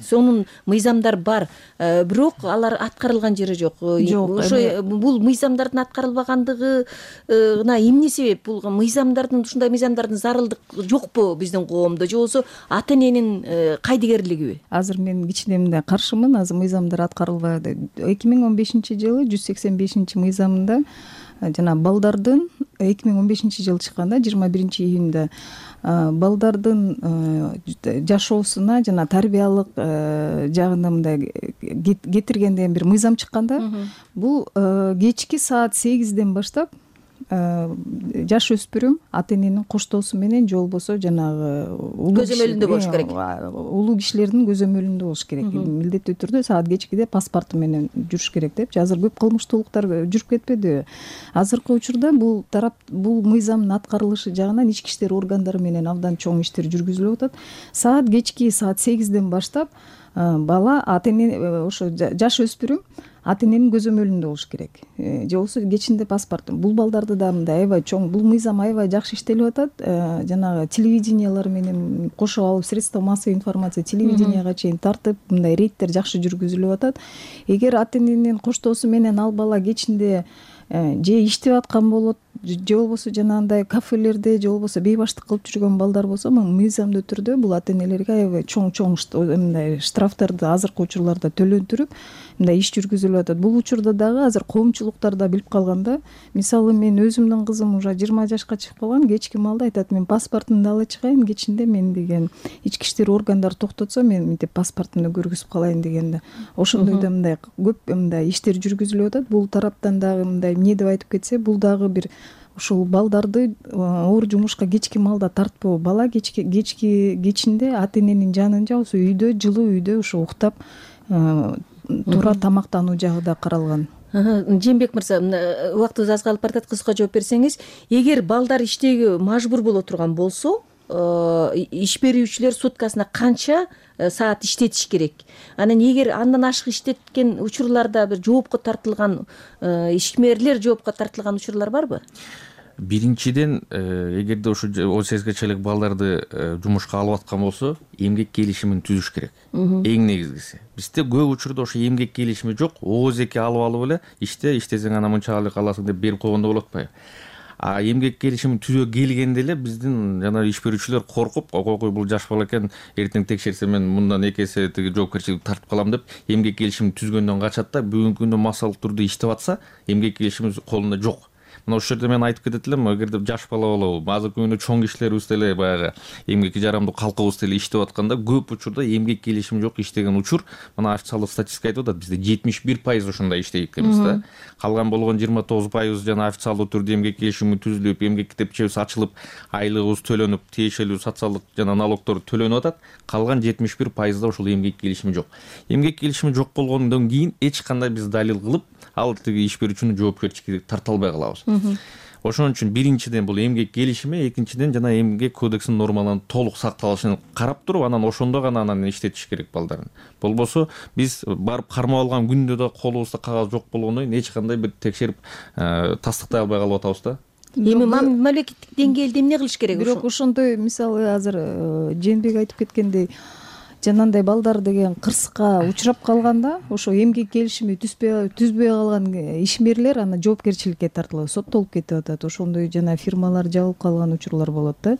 сонун мыйзамдар бар, бирок алар аткарылган жери жок. Ошо бул мыйзамдардын аткарылбагандыгына эмне себеп? Бул мыйзамдардын, ушундай мыйзамдардын зарылдык жокпу биздин коомдо, же болбосо ата эненин кайдыгерлигиби? Азыр мен кичине мындай каршымын, азыр мыйзамдар аткарылбады. эки миң он бешинчи жылы жүз сексен бешинчи мыйзам жана балдардын эки миң он бешинчи жылы чыкканда жыйырма биринчи июнда балдардын жашоосуна жана тарбиялык жагына мындай кетирген деген бир мыйзам чыкканда, бул кечки саат сегизден баштап жаш өспүрүм ата эненин коштоосу менен же болбосо жанагы көзөмөлүндө болуш керек. Улуу кишилердин көзөмөлүндө болуш керек. Милдеттүү түрдө саат кечкиде паспорту менен жүрүш керек деп. Азыр көп кылмыштуулуктар жүрүп кетпедиби? Азыркы учурда бул тарап бул мыйзамдын аткарылышы жагынан ички иштер органдары менен абдан чоң иштер жүргүзүлүп атат. Саат кечки саат сегизден баштап бала ата эне ошо жаш өспүрүм ата эненин көзөмөлүндө болуш керек. Же болбосо кечинде паспорт. Бул балдарды да мындай аябай чоң, бул мыйзам аябай жакшы иштелип атат. Жанагы телевидениялар менен кошуп алып, средства массовой информация телевиденияга чейин тартып, мындай рейдтер жакшы жүргүзүлүп атат. Эгер ата эненин коштоосу менен ал бала кечинде же иштеп аткан болот, же болбосо жанагындай кафелерде же болбосо бейбаштык кылып жүргөн балдар болсо, мыйзамдуу түрдө бул ата энелерге аябай чоң-чоң мындай штрафтарды азыркы учурларда төлөндүрүп, мындай иш жүргүзүлүп атат. Бул учурда дагы азыр коомчулуктар да билип калганда, мисалы мен өзүмдүн кызым уже жыйырма жашка чыгып калган, кечки маалда айтат, мен паспортумду ала чыгайын, кечинде мен деген ички иштер органдары токтотсо, мен мынтип паспортумду көргүзүп калайын дегенде. Ошондой да мындай көп мындай иштер жүргүзүлүп атат. Бул тараптан дагы мындай эмне деп айтып кетсе, бул дагы бир ушул балдарды оор жумушка кечки маалда тартпоо. Бала кечки кечки кечинде ата эненин жанында, болсо үйдө, жылуу үйдө ушу уктап туура тамактануу жагы да каралган. Жээнбек мырза, убактыбыз аз калып баратат, кыска жооп берсеңиз. Эгер балдар иштөөгө мажбур боло турган болсо, иш берүүчүлөр суткасына канча саат иштетиш керек? Анан эгер андан ашык иштеткен учурларда бир жоопко тартылган ишмерлер жоопко тартылган учурлар барбы? Биринчиден, эгерде ошо он сегизге чейин балдарды жумушка алып аткан болсо, эмгек келишимин түзүш керек. Эң негизгиси. Бизде көп учурда ошо эмгек келишими жок, ооз эки алып алып эле иште, иштесең анан мынчалык аласың деп берип койгондо болот атпайбы? А эмгек келишимин түзөө келгенде эле биздин жана иш берүүчүлөр коркуп, ой бул жаш бала экен, эртең текшерсе мен мындан эки эсе тиги жоопкерчиликти тартып калам деп эмгек келишимин түзгөндөн качат да, бүгүнкү күндө массалык түрдө иштеп атса, эмгек келишими колунда жок. мына ошол жерде мен айтып кетет элем, эгерде жаш бала болобу, азыркы күндө чоң кишилерибиз деле баягы эмгекке жарамдуу калкыбыз деле иштеп атканда көп учурда эмгек келишими жок иштеген учур, мына официалдык статистика айтып атат, бизде жетимиш бир пайыз ошондой иштейт экенбиз да. Калган болгон жыйырма тогуз пайыз жана официалдуу түрдө эмгек келишими түзүлүп, эмгек китепчебиз ачылып, айлыгыбыз төлөнүп, тиешелүү социалдык жана налогдор төлөнүп атат. Калган жетимиш бир пайызда ошол эмгек келишими жок. Эмгек келишими жок болгондон кийин эч кандай биз далил кылып, ал тиги иш берүүчүнү жоопкерчиликке тарта албай калабыз. Ошон үчүн биринчиден бул эмгек келишими, экинчиден жана эмгек кодексинин нормаларынын толук сакталышын карап туруп, анан ошондо гана анан иштетиш керек балдарын. Болбосо биз барып кармап алган күндө да колубузда кагаз жок болгондон кийин эч кандай бир текшерип тастыктай албай калып атабыз да. Эми мамлекеттик деңгээлде эмне кылыш керек? Бирок ошондой мисалы азыр Жээнбек айтып кеткендей, жанагындай балдар деген кырсыкка учурап калганда, ошо эмгек келишими түзбөй түзбөй калган ишмерлер аны жоопкерчиликке тартылып, соттолуп кетип атат. Ошондой жана фирмалар жабылып калган учурлар болот да.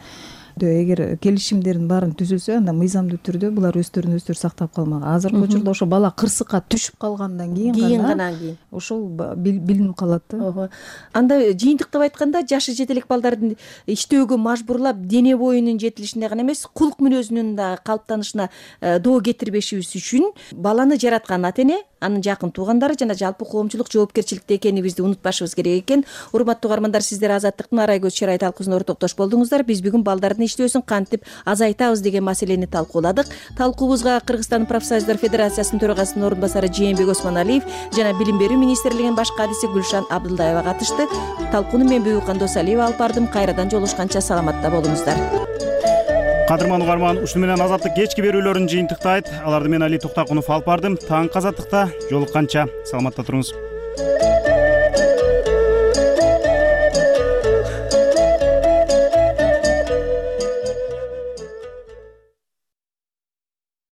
Эгер келишимдердин баарын түзүлсө, анда мыйзамдуу түрдө булар өздөрүн өздөрү сактап калмак. Азыркы учурда ошо бала кырсыкка түшүп калгандан кийин гана ошол билинип калат да. Анда жыйынтыктап айтканда, жашы жете элек балдардын иштөөгө мажбурлап, дене боюнун жетилишине гана эмес, кулк мүнөзүнүн да калыптанышына доо кетирбешибиз үчүн баланы жараткан ата эне, анын жакын туугандары жана жалпы коомчулук жоопкерчиликте экенибизди унутпашыбыз керек экен. Урматтуу угармандар, сиздер Азаттыктын арай көз чырай талкуусуна ортоктош болдуңуздар. Биз бүгүн балдардын иштөөсүн кантип азайтабыз деген маселени талкууладык. Талкуубузга Кыргызстан профсоюздар федерациясынын төрагасынын орун басары Жээнбек Осмоналиев жана Билим берүү министрлигинин баш кадиси Гүлшан Абдылдаева катышты. Талкууну мен Бүйүкан Досалиева алып бардым. Кайрадан жолугушканча саламатта болуңуздар. Кадырман угарман, ушуну менен Азаттык кечки берүүлөрүн жыйынтыктайт. Аларды мен Али Токтакунов алып бардым. Таңкы Азаттыкта жолукканча саламатта туруңуз.